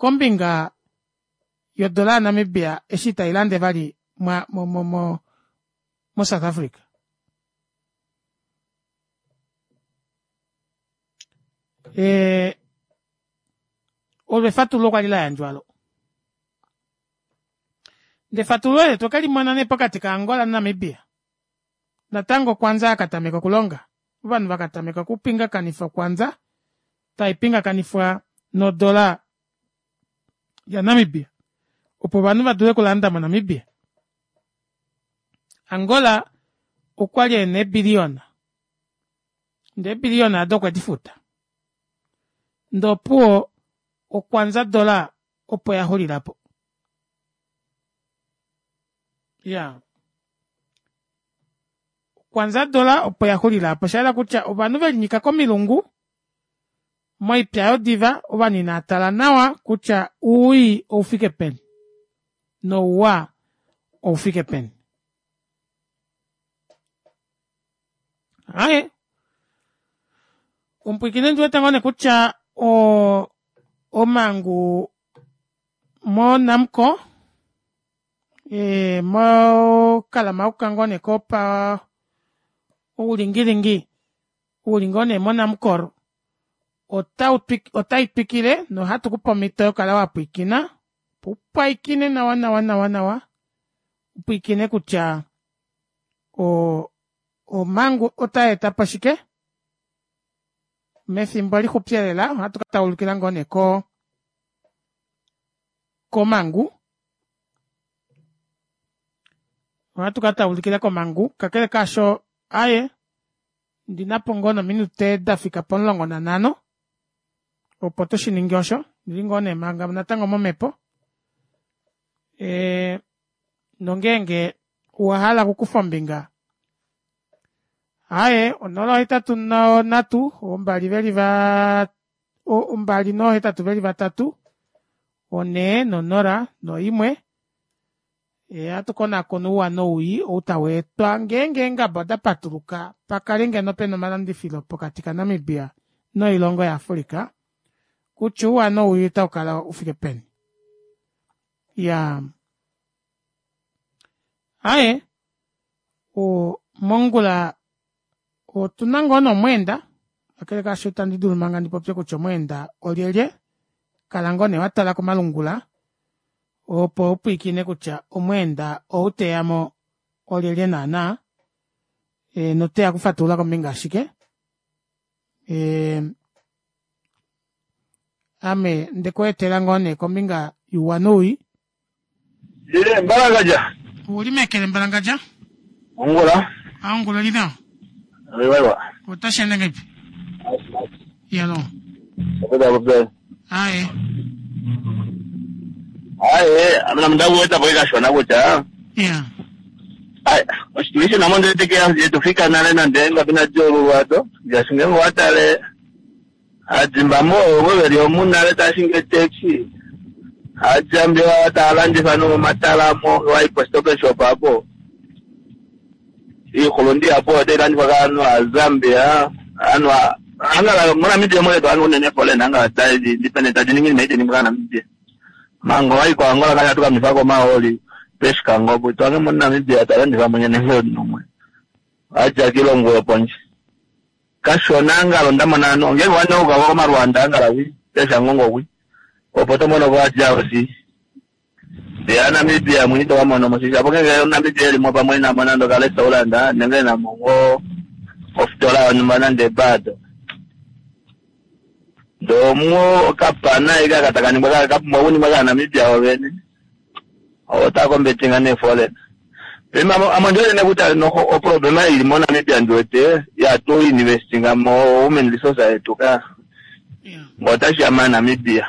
kombinga yodola yaNamibia eshi tai lande vali mwa mo mo mo moSouth Africa. E, olo efatululo kwali la yandjwa lo. Ndee efatululo ele otwe ke limona nee pokati kaAngola naNamibia. Natango okwanza ya katameka okulonga. Ovanhu va katameka okupingakanifa okwanza tai pingakanifwa nodola yaNamibia opo ovanhu va dule okulanda moNamibia. Angola okwa li e na eebiliyona ndee eebiliyona ado okwe di futa ndee opuwo okwanza dola opo ya xulila po. Ya okwanza dola opo ya xulila po osha yela kutya ovanhu ve linyika komilungu Moipya yodiva, ovanhu inaa tala nawa kutya uwii oufike peni nouwa oufike peni. Aye, omupwiikini ondi wete ngoo nee kutya o omangu moNamcor e, mokalamauka ngoo nee kopa oulingilingi u li ngoo nee moNamcor otai twikile nohatu ku pe omhito yokukala wa pwiikina opo u pwaikine nawa nawa nawa nawa u pwiikine kutya omhangu otai eta po shike mefimbo lixupi elela ohatu ka taulukila ngoo nee ko komhangu ohatu ka taulukila komhangu kakele kaasho aye Ndi na po ngoo nominute da fika pomulongo nanhano opo tu shi ninge osho. Ndi li ngoo nee manga natango momhepo. E, nongeenge owa hala okukufa ombinga aye onola ohetatu nonhatu ombali veli va ombali nohetatu veli vatatu onhee nonola noimwe Ohatu konakona ouwa nowii ou tau etwa ngeenge eengaba oda patuluka pa kale ngeno pena omalandifilo pokati kaNamibia noilongo yaAfrica kutya ouwa nowii otau kala u fike peni. Iyaa aaye mongula otuna ngoo nee omweenda kakele kaasho itandi dulu manga ndi popye kutya omweenda olyelye kala ngoo nee wa tala komalungula opo u pwiikine kutya omweenda ou teya mo olyelye naana e, noteya okufatulula kombinga yashike e, ame nde ku etela ngoo nee kombinga yuuwa nowii Ye, Mbalangadja. Uli mekele Mbalangadja? Ongula. A ongula oli nawa. Iwa iwa. Otashi ende ngahelipi? Yalo. Opeta popya. Aye. Aye, amena mnda kuweta po kashona kutya. Yeah. Aye, osituishi namo ndele teke yetu fika nale nande ngapi na diolulwa do. Ngaashi ngenge watale Aadimbamo ovo ve li omu nale tava shingi eetaxi, Aadjambiwa tava landifa nomomatala mo wa yi poStop and Shop apo. Iihulunde ihapu otayi landifwa kaanhu Aazambia, aanhu angala moNamibia omo letu aanhu unene foreign angala tadi depend tadi ningi iinima itayi ningwa kAanamibia. Manga owa yi koAngola kali hatu ka nwitha ko omahooli pEshikango opo ito hange moNamibia ta landifa mo nenge omunhu umwe a dja kiilongo yopondje. Kashona angala onda mona ovanhu ongenge wa neuka ko komaluanda angala kwi peshangongo kwi opo to mono ko DRC ndee a Namibia mwene ito ka mono mo shapo ngenge omuNamibia elimo pamwe enamo nande oka restaurant nenge enamo ngoo ofitola yonhumba nande ebado ndee omuo okapana eke aka taka ningwa ka pumbwa okuningwa kaaNamibia vovene Ovo tava kombetinga nee foreign. Paife ame ondi wete nee kutya noho oproblema ili moNamibia ndi wete ihatu investinga mo human resource yetu ka. Ngee otashi ya maNamibia.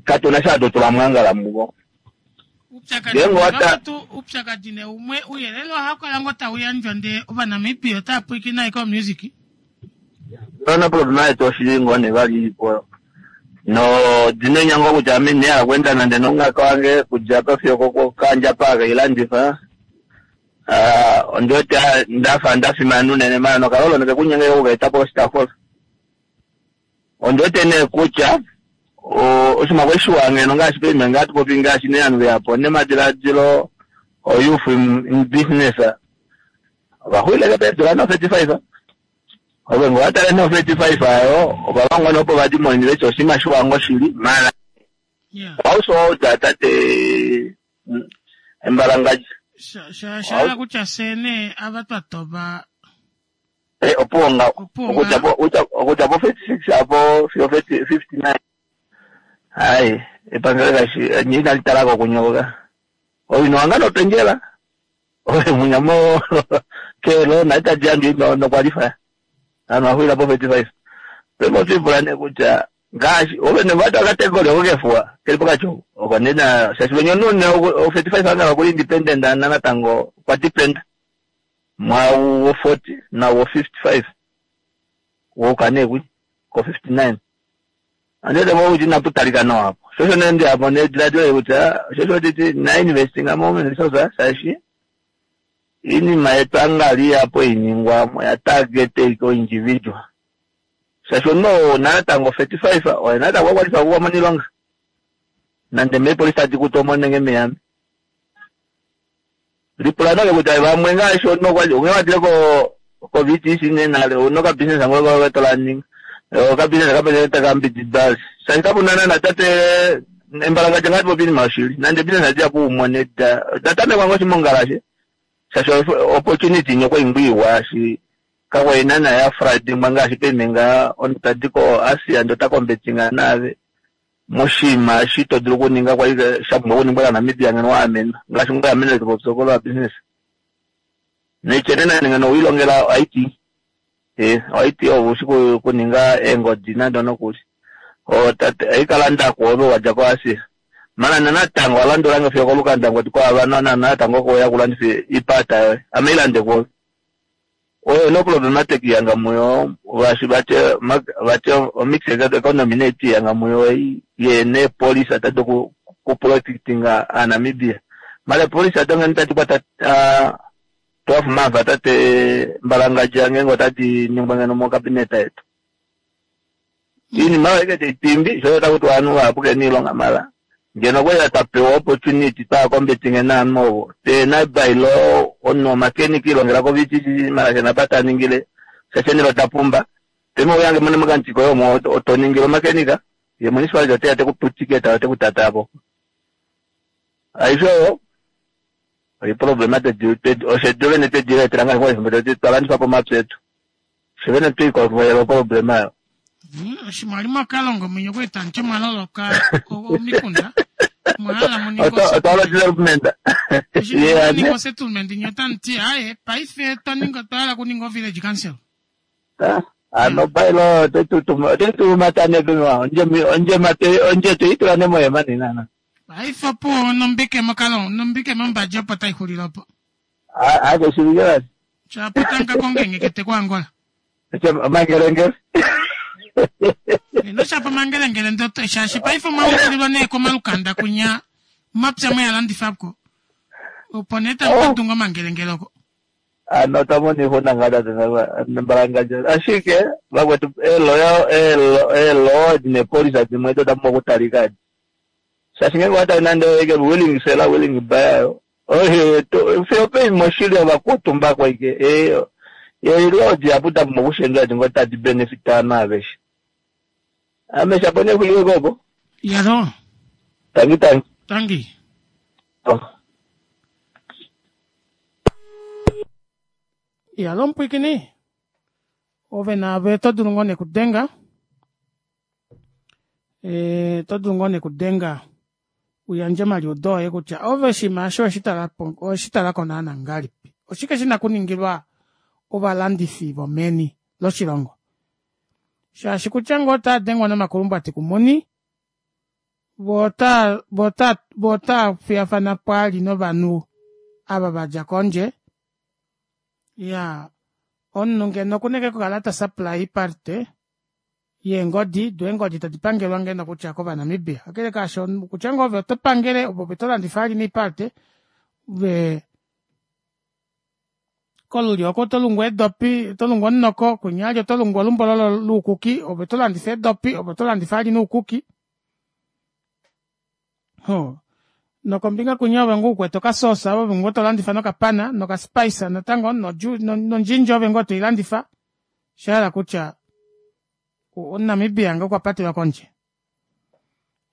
Katu na sha hatu tula mwangala muvo. Ngenge upyakadi ne umwe uyelele ohau kala ngoo tau yandjwa ndee Ovanamibia otava pwilikine ashike omusic. Yona problema yetu oshili ngoo ne vali ilipo no dina ngoo kutya ame ine hala okuenda nande nongaka wange kudja apa fiyo kokandja apa akeilandifa. Ondi wete ndafa ndafimana unene mara nokalolo neke kunyenge okukaeta po oshitaafula. Ondi wete nee kutya oshinima kwali shiwa ngeno ngaashi paife ngaa tupopi ngaashi nee ovanhu veyapo nemadilaadilo o youth in business ovaxwileke peedula no 35 ove ngoo watale no 35 ayo ovalongwa nee opo vadimonene kutya oshinima shiwa ngoo shili mara household tate embalangadja. Sha kutya fye nee ava twa toba opuwo ngaho okudja po 36 apo fiyo 59 hai epangelo kashi nye inali talako kunyoka owino wanga nopendjela ove munyamo keelo nali tadi yandjwa nokwalifa ovanhu vaxulila po 35 pema otwiipula nee kutya ngaashi ove nevata okategori oko kefuwa keli pokati oko oko nena shaashi venya omunhu ne o 35 angala okuli independent natango okwa depend mwau wo 40 na wo 55 wouka nee kwi ko 59 andete mo kuti inapu talika nawa apo shosho nee ndi apo nediladilo kutya shosho titi na investinga mo human resource shaashi iinima yetu angali yapo iningwa oya target ko individual shaashi omunhu natango 35 oye natango akwalifa kukwamona iilonga nande meepolisi tadi kutu omo nenge meyame lipula nake kutya vamwe ngaashi omunhu okwali onge wadile ko ko VTC nenale ouna okabusiness ngo tolaninga okabusiness kapene takambidida shaashi kapuna nana tate embalangadja ngati popi iinima yoshili nande business adi yapo umone da datamekwa ngoo shimongalashe shaashi opportunity nyoko ingwiiwa shi kakwali nana ya fradingwa ngaashi paife omuntu tadi ko Asia ndo ta competinga naave moshinima eshi to dulu okuninga kwali sha pumbwa okuningwa kaNamibia ngeno waamena ngaashi ngoo amene topopya lwa business neitye nande ngeno wiilongela IT IT ovo ushi kuninga eengodi nande nokuli aikalanda kwoove wadja ko Asia mana natango alandulange fiyo kolukanda ngoti kwaava natango koya kulandifa ipata yoye ame ilande kwoove oyo no problematic yanga muyo ngaashi vati omix economy neeti yanga muyo ye nepolisi atadi kuprotectinga aaNamibia mara epolisi adonge tadi kwata 12 months atate mbalangadja ngenge otadi ningwa ngeno mokabineta yetu iinima oyo ike taitimbi sho takuti ovanhu vahapu kena iilonga mara ngeno okwali twapewa opportunity twaakombetinge naanhu ovo tena bailo omunhu omakenika ilongela ko VTC mara kena apa taningile shaashi enelo tapumba pema uyange mone mokamutiko yomo otoningile omakenika ye municipality oteya tekupa ticket otekutatapo aishe oyo oiproblema oshedu vene twediletela ngaashi efimbo twalandifa po omapya etu fye vene twiikolele oproblema oyo. Oshimaliwa mwakalonga mwenye okueta nti mwaloloka omikunda mwahala muninge otwalo development muninge settlement nye otamuti aye paife twaninga twahala kuninga o village council. Ano bailo otetumatane ondje toitula nemoyema nenana. Paife opo nombike mokalongo nombike mombadje opo taixulile opo. Akeshivike vali. Shapo tanka kongengekete kuAngola. Mangelengele. Ino shapo mangelengele ndoto shaashi paife omwaulilwa nee komalukanda kunya omapya mweyalandifako opo nee tamukatunga omangelengele oko. Ano tamoni ixuna ngaa tate mbalangadja ashike vakwetu eelo nepolisa dimwe edo dapumbwa okutalika edi shaashi ngenge owatali nande willing seller willing buyer fiyo peima oshili ovakutumbako ike eelo dihapu dapumbwa okushendjwa edi ngoo tadi benefit ovanhu aveshe ame shapo nexulileko opo. Yalo. Tangi tangi. Tangi. Yalo mpwikini ove naave oto dulu ngoo nekudenga oto dulu ngoo nekudenga uyandje omaliudo oye kutya ove oshinima osho oweshi talako naana ngahelipi oshike shina kuningilwa ovalandifi vomeni loshilongo shaashi kutya ngoo otadengwa nomakulumbwati kumuni. Vo ota vo ota vo otaa fiyafana pwaali novanhu ava va dja kondje. Iyaa, omunhu ngeno okuna ashike okukala ta supply parte yeengodi, do eengodi tadi pangelwa ngeno kutya kOvanamibia. Kakele kaasho, kutya ngoo ove oto pangele ove to landifa vali neeparte, ove kolulyo oko oto lungu eedopi, oto lungu omunoko, kwinya vali oto lungu olumbololo loukuki, ove oto landifa eedopi, ove oto landifa vali noukuki. Hoo. Nokombinga kwinya ove ngoo ukwete okasoosa ove ngoo tolandifa nokapana nokaspice natango nondjindja ove ngoo toilandifa. Osha hala kutya omuNamibia ngoo okwa patelwa kondje.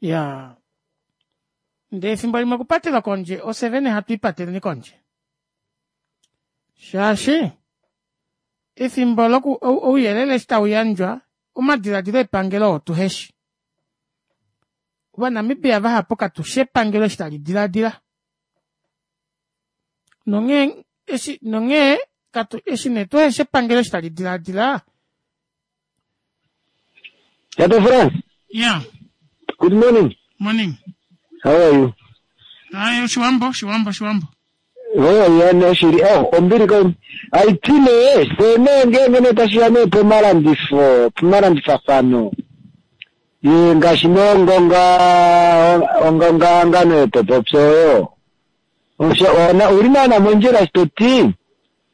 Iyaa. Ndee efimbo limwe okupatelwa kondje ofye vene hatu ipateleni kondje. Shaashi efimbo loku ouyelele eshi tau yandjwa omadiladilo epangelo oo tuheshi. Ovanamibia vahapu katu shi epangelo eshi tali diladila. Nonghee eshi nonghee katu eshi nee tuheshi epangelo eshi tali diladila. Tate Frans. Yeah. Good morning. Morning. How are you? Hayi Oshiwambo, Oshiwambo, Oshiwambo. Oh, ya nee shili. Oh, ombili ko. Aiti nee, se nee ngeenge nee tashi ya nee pomalandifo, pomalandifafano. Ye ngaashi nee ongonga ongongahangano yetopopyo oyo. Osho ona uli naana mondjila eshi to ti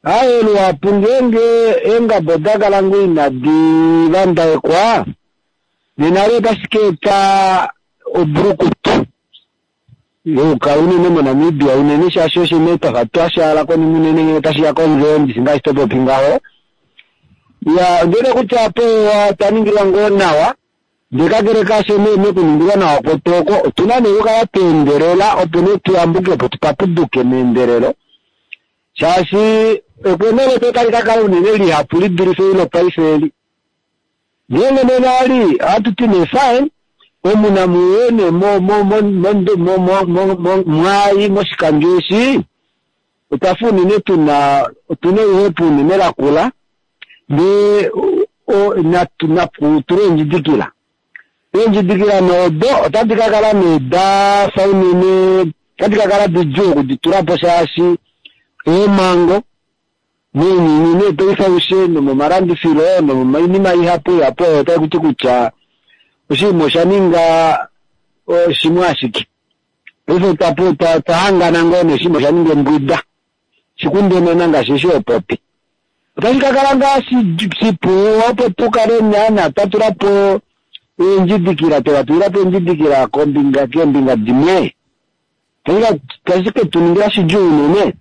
aaye luhapu ngeenge eengaba oda kala ngoo inadi vandaekwa nena olo otashi ka eta obulukutu youkala unene moNamibia unene shaashi osho nee twafa twa shaala konima unene ngee tashi ya konzo ndishi ngaashi to popi ngaho. Ya ondjele kutya apo otwa ningilwa ngoo nawa Ndele kakele kaasho nee mekuningilwa nawa kwetu oko, otu na nee okukala twa endelela opo nee tu yambuke po tu papuduke meendelelo, shaashi ekweno letu otali ka kala unene lihapu li dulife eli lopaife eli. Ngeenge nee vali ohatu ti nee fine, omu namu uye nee mo, mo, mo, mo, mo, mo, mo, mo, mwaai moshikandjo eshi, otwa fa unene tu na, otu na oluhepo unene lakula, Ndee natu tule eendjidikila. Eendjidikila nee odo otadi ka kala nee da fa unene, otadi ka kala didjuu okudi tula po shaashi eemhango mounyuni nee paife aushe nomomalandifilo nomoinima ihapu ihapu oyo otai kuti kutya oshinima osha ninga shimwe ashike. Paife otwa hangana ngoo nee oshinima osha ninga embwida. Shikundenena ngaashi eshi ho popi. Otashi ka kala ngaa shipu opo tu kale naana twa tula po eendjidikila, twe va tulila po eendjidikila kombinga keembinga dimwe? Otashi ke tu ningila shidjuu unene.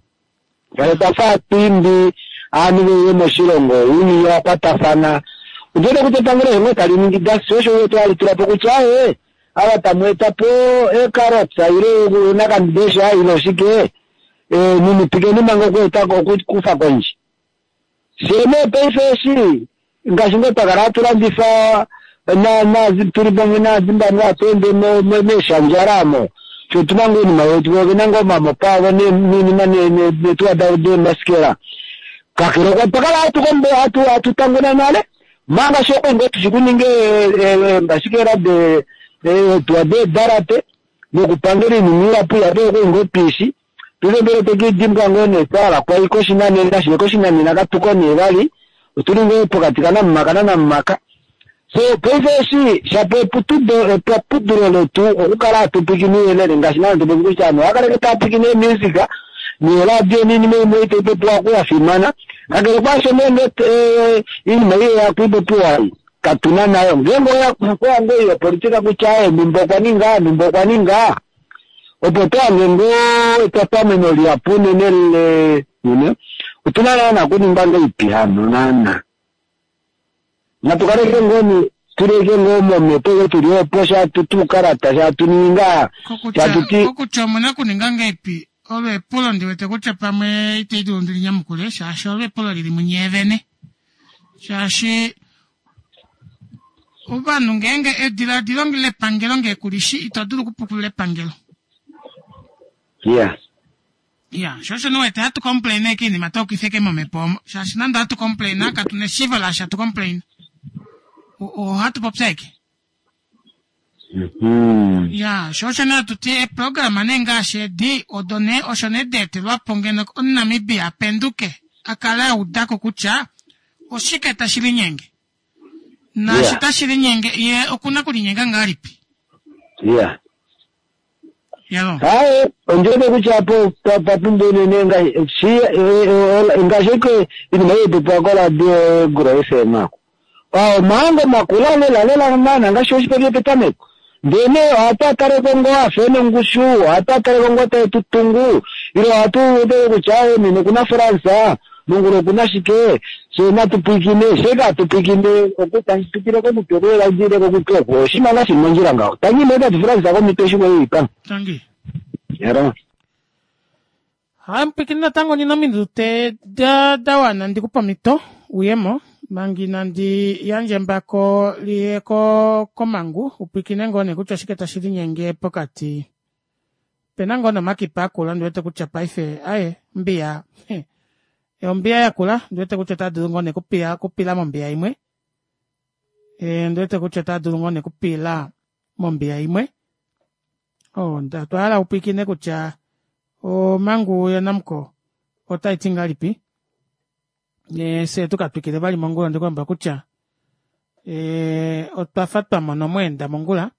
Ngaashi otwa fa hatu imbi ovanhu ve uye moshilongo, ounyuni owa kwatafana. Ondi wete kutya epangelo osho ngoo tali ningi dasi, osho u wete hali tula po kutya aaye, ava tamu eta po eekarotsa ile ounakandesha ile oshike, Ninipikeni manga okueta okukufa kondje. Fyee nee paife eshi ngaashi ngoo twa kala hatu landifa na na tuli pamwe naaZimbabwe hatu ende meeshandjala omo, fye otu na ngoo oinima yetu, vo ove na ngoo omamopa avo noinima neetuwa davo deembasikela. Kakele okwa twa kala hatu kombo hatu hatu tanguna nale, manga fye okwali ngoo tushi kuninga eembasikela de eetuwa deedalate. nokupangela oinima ihapu ihapu oyo kwali ngoo tuishi. Paife mbela otwe ke i dimbwa ngoo nee twala kwai koshinanena, shee koshinanena katu ko nee vali, otuli ngoo pokati kanamumaka nanamumaka. So paife eshi shapo eputudo epapudulo letu okukala hatu pwiikine ouyelele ngaashi naana to popi kutya ovanhu ohava kala ashike tava pwiikine eemusic neeradio noinima imwe ei tai popiwa oku ya fimana. Kakele kwaasho nee ngee oinima ei yeya kuipopiwa ei Katu na nayo. Ngeenge oya okweya ngoo yopolitika kutya aaye nhumba okwa ninga, nhumba okwa ninga, opo to hange ngoo etwatameno lihapu unene le, you know. Otu na naana okuninga ngaipi hano naana? Natu kaleke ngoo ni, tuleke ngoo momhepo ile tuli opo sha tu tuukalata sha tu ningi ngaa, sha tu ti. Kokutya omu na okuninga ngaipi olo epulo ndi wete kutya pamwe itali dulu ndi li nyamukule shaashi olo epulo lili munye vene. Shaashi ovanhu ngeenge ediladilo lepangelo ngee kulishi ito dulu okupukulula epangelo. Yeah. Ya, sho osho niwete hatu complain ashike iinima taukifa eke momhepo omo. Shaashi nande ohatu complain katu na eshiivo laashi hatu complain. Ohatu popi ashike. Mhm. Ya, sho osho nee hatu ti eeprograma nee ngaashi edi odo nee osho nee da etelwa po ngeno Omunamibia a penduke a kale a uda ko kutya oshike tashi linyenge. Naashi tashi linyenge ye oku na okulinyenga ngahelipi. Ya. Yalo. Haye, ondi wete kutya apo pa pumbwa unene ngaashi ngaashi eke inima ei popiwa koradio Gro FM ako. Omahango makula lela lela naana ngaashi oshipopile petameko. Ndele nee ohatu a taleko ngoo afa ena ongushu, ohatu a taleko ngoo tae tu tungu, ile ohatu wete kutya aawe nena okuna France, mongula okuna shike, fye natu pwiikine, fye katu pwiikine oku tashi pitile komutwe oku ile ile kokutwe oku, oshinima ngaa shili mondjila ngaho. Tangi nee tatu France komitwe eshi kwali pa. Tangi. Yaro. Hai mupwikini natango ndina ominute da, da wana ndi kupe omhito uyemo manga inandi yandja embako liye ko komangu upwikine ngoo nee kutya oshike tashi linyenge pokati opena ngoo nomakipa akula ndi wete kutya paife aye ombiya ombiya yakula ndi wete kutya otaa dulu ngoo nee kupiya kupila mombiya imwe e, ndi wete kutya otaa dulu ngoo nee kupila mombiya imwe oh, otwa hala upwikine kutya omhangu yaNamcor otai ti ngahelipi e, fye tu ka twikile vali mongula ndikulomba kutya e, otwa fa twa mona omweenda mongula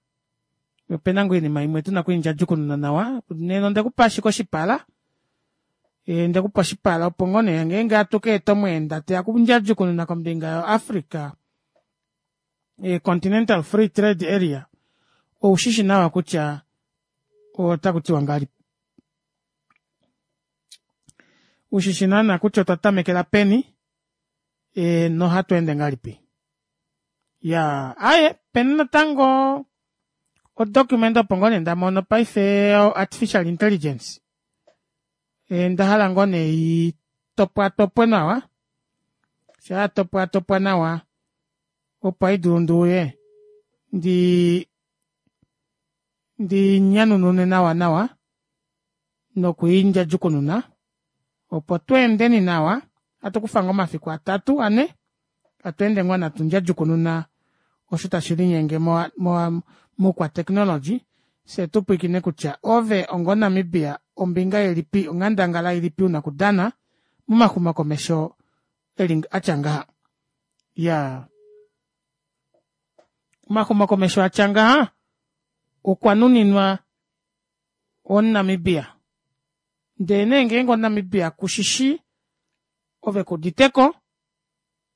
opena ngoo oinima imwe tuna okwiindjadjukununa nawa nena onde kupa ashike oshipala e, nde kupa oshipala opo ngoo nee ngeenge hatu ka eta omweenda teya kundjadjukununa kombinga yoAfrica e, Continental Free Trade Area oushishi nawa kutya otaku tiwa ngahelipi ushishi naana kutya otwa tamekela peni e, nohatu ende ngahelipi ya aye peni natango odocument opo ngoo nee nda mono paife artificial intelligence e, nda hala ngoo nee i topwatopwe nawa sha ya topwatopwa nawa opo haidulu nduuye ndi ndi nyanunune nawa nawa nokwiindjadjukununa opo tu endeni nawa hatu kufa ngoo omafiku atatu ane hatu ende ngoo natu ndjadjukununa osho tashi linyenge moukwateknologi fye tu pwiikine kutya ove ongoNamibia ombinga ilipi onghandangala ilipi una okudana momaxumokomesho eli atya ngaha ya omaxumokomesho atya ngaha okwa nuninwa omuNamibia ndele nee ngeenge omuNamibia kushishi ove kuditeko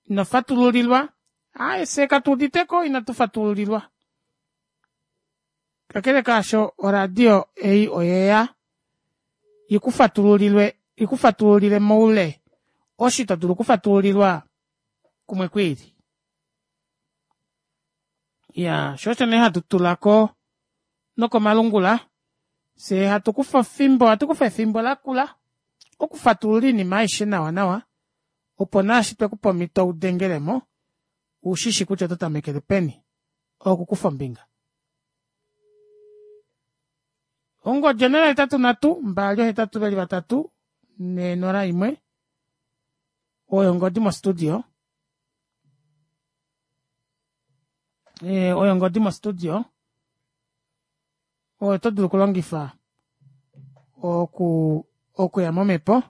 ino fatululilwa aaye fye katu uditeko inatu fatululilwa kakele kaasho oradio ei oyeya ikufatululilwe ikufatululile moule oshi to dulu okufatululilwa kumwe kwiili ya sho osho nee hatu tula ko nokomalungula fye hatu kufa efimbo hatu kufa efimbo lakula okufatulula oinima aishe nawa nawa opo naashi twekupa omhito udengelemo ushishi kutya oto tamekele peni okukufa ombinga. Ongodi 083 282 401 oyo ongodi mostudio e, oyo ongodi mostudio oyo to dulu okulongifa oku okuya momhepo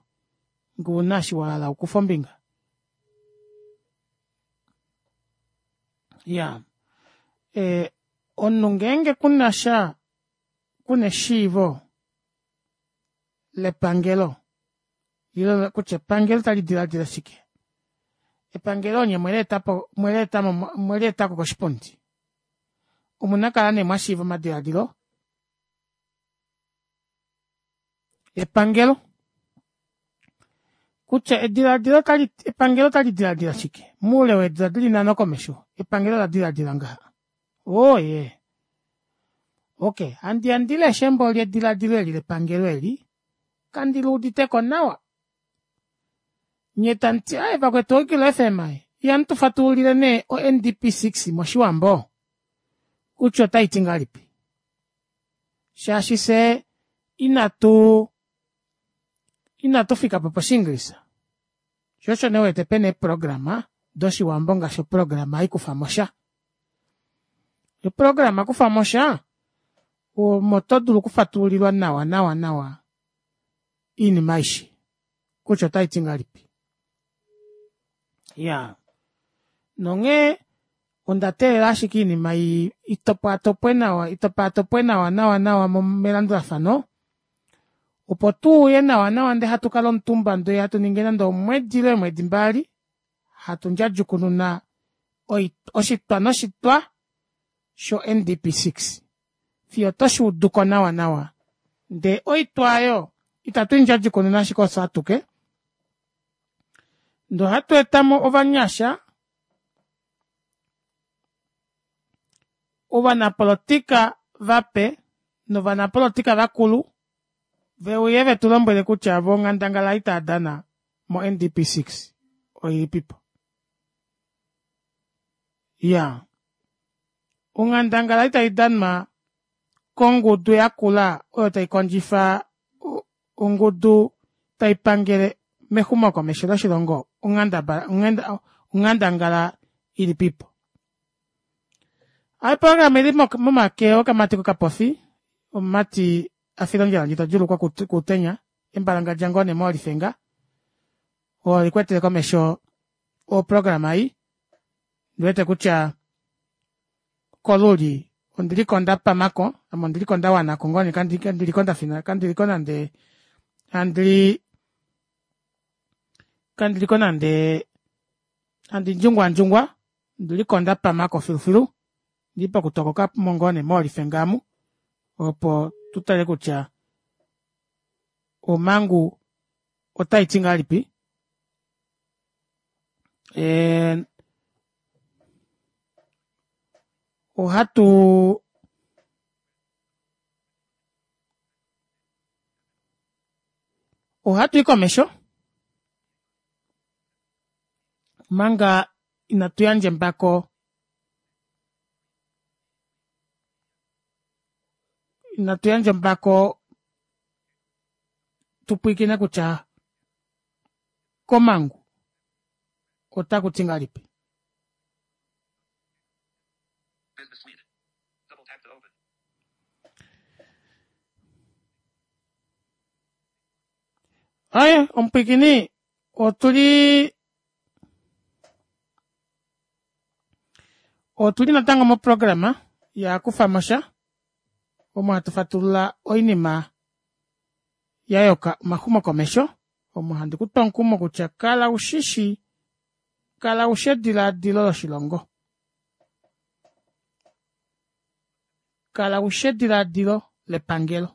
ngee una eshi wa hala okukufa ombinga ya e, omunhu ngeenge kuna sha kuna eshiivo lepangelo ile kutya epangelo tali diladila shike epangelo onye mweleetapo mweleetamo mweleetako koshipundi omuna kala nee mwashiiva omadiladilo epangelo kutya ediladilo tali epangelo tali diladila shike muule weedula dili nhano komesho epangelo la diladila ngaha oye ok handi ya ndi leshe embo lyediladilo eli lepangelo eli kandi luuditeko nawa nye tamu ti aye vakwetu oikilo fm ihamu tu fatululile nee o ndp 6 moshiwambo kutya otai ti ngahelipi shaashi fye inatu inatu fika po poshiingilisa sho osho nee wete pena eeprograma doshiwambo ngaashi oprograma hai kufa mo sha. Oprograma kufamo sha omo to dulu okufatululilwa nawa nawa nawa iinima aishe kutya otai ti ngahelipi. Iyaa nonghee onda teelela ashike oinima itopwaatopwe nawa itopaatopwe nawa nawa nawa melandulafano opo tuuye nawa nawa ndee hatu kala omutumba ndee hatu ningi nande omwedi ile eemwedi mbali hatu ndjadjukununa oshitwa noshitwa sho ndp 6 fiyo toshuuduko nawa nawa ndee oitwa aayo ita tuindjadjukununa ashike ofye atuke ndee ohatu etamo ovanyasha ovanapolitika vape novanapolitika vakulu veuye vetulombwele kutya voo onghandangala ei taadana mo ndp 6 oilipipo iyaa onghandangala ei taidanwa kongudu yakula oyo taikondjifa ongudu taipangele mexumokomesho loshilongo onghandangala ilipipo. Oprograma oili momake okamati kokapofi omumati afila ondjala ndji todjuulukwa kuutenya embalangadja ngoo nee moolifenga oo elikwetele komesho oprograma ei ondiwete kutya koluli ondiliko ndapamako ame ondiliko ndawanako ngoo nee kandiliko ndafina kandiliko nande handi kandiliko nande handi ndjungwandjungwa ondiliko ndapamako filufilu ondili pokutokokamo ngoo nee moolifenga amu opo tutale kutya omangu otaiti ngahelipi ohatu ohatu i komesho omanga inatu yandja embako inatu yandja ombako tupwiikine kutya komangu otaku ti ngahelipi. Aye omupwiikini otuli otuli natango moprograma ya kufamosha omo hatu fatulula oinima ya yoka omaxumokomesho omo handi kutu omukumo kutya kala ushishi kala ushi edilaadilo loshilongo kala ushi edilaadilo lepangelo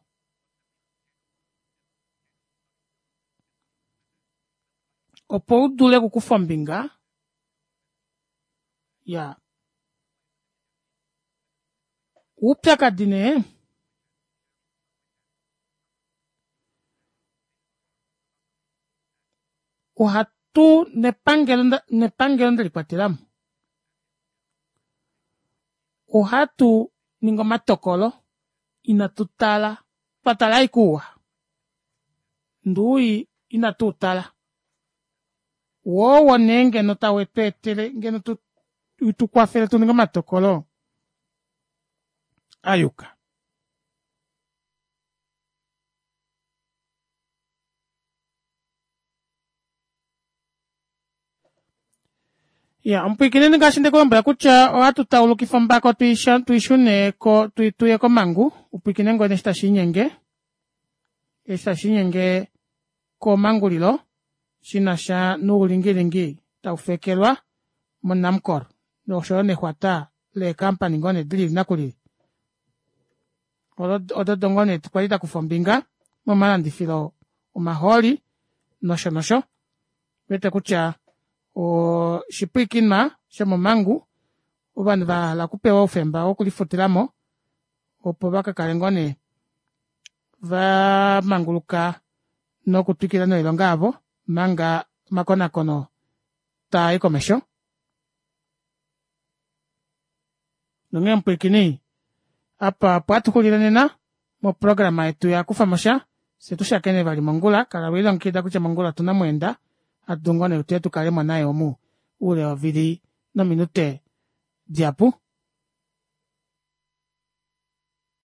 opo udule okukufa ombinga ya oupyakadi nee ohatu nepangelo nepangelo ndelikwatelamo ohatu ningi omatokolo inatu tala twa tala ashike ouwa ndee owii inatu utala woo owo nee ngeno tau tweetele ngeno tukwafele tuninge omatokolo ayuka. Ya omupwiikineni ngaashi nde kulombwela kutya ohatu taulukifa ombako tuishune ko tuye komangu upwiikine ngoo nee eshi tashiinyenge eshi tashiinyenge komangulilo shinasha noulingilingi taufekelwa mo Namcor noshoyo nexwata leecompany ngoo nee dilili nakulili odo ngoo nee kwali dakufa ombinga momalandifilo omahooli nosho nosho wete kutya oshipwiikinwa shomomangu ovanhu vahala okupewa oufemba wokulifutilamo opo vakakale ngoo nee vamanguluka nokutwikila noilonga yavo omanga omakonakono taa i komesho. Nonghee omupwiikini, apa opo hatu xulile nena moprograma yetu ya kufamosha, fye tu shakene vali mongula. Kala we lilongekida kutya mongula otu na mweenda hatu dulu ngoo nee tuye tu kale mo naye omu oule wovili nominute dihapu.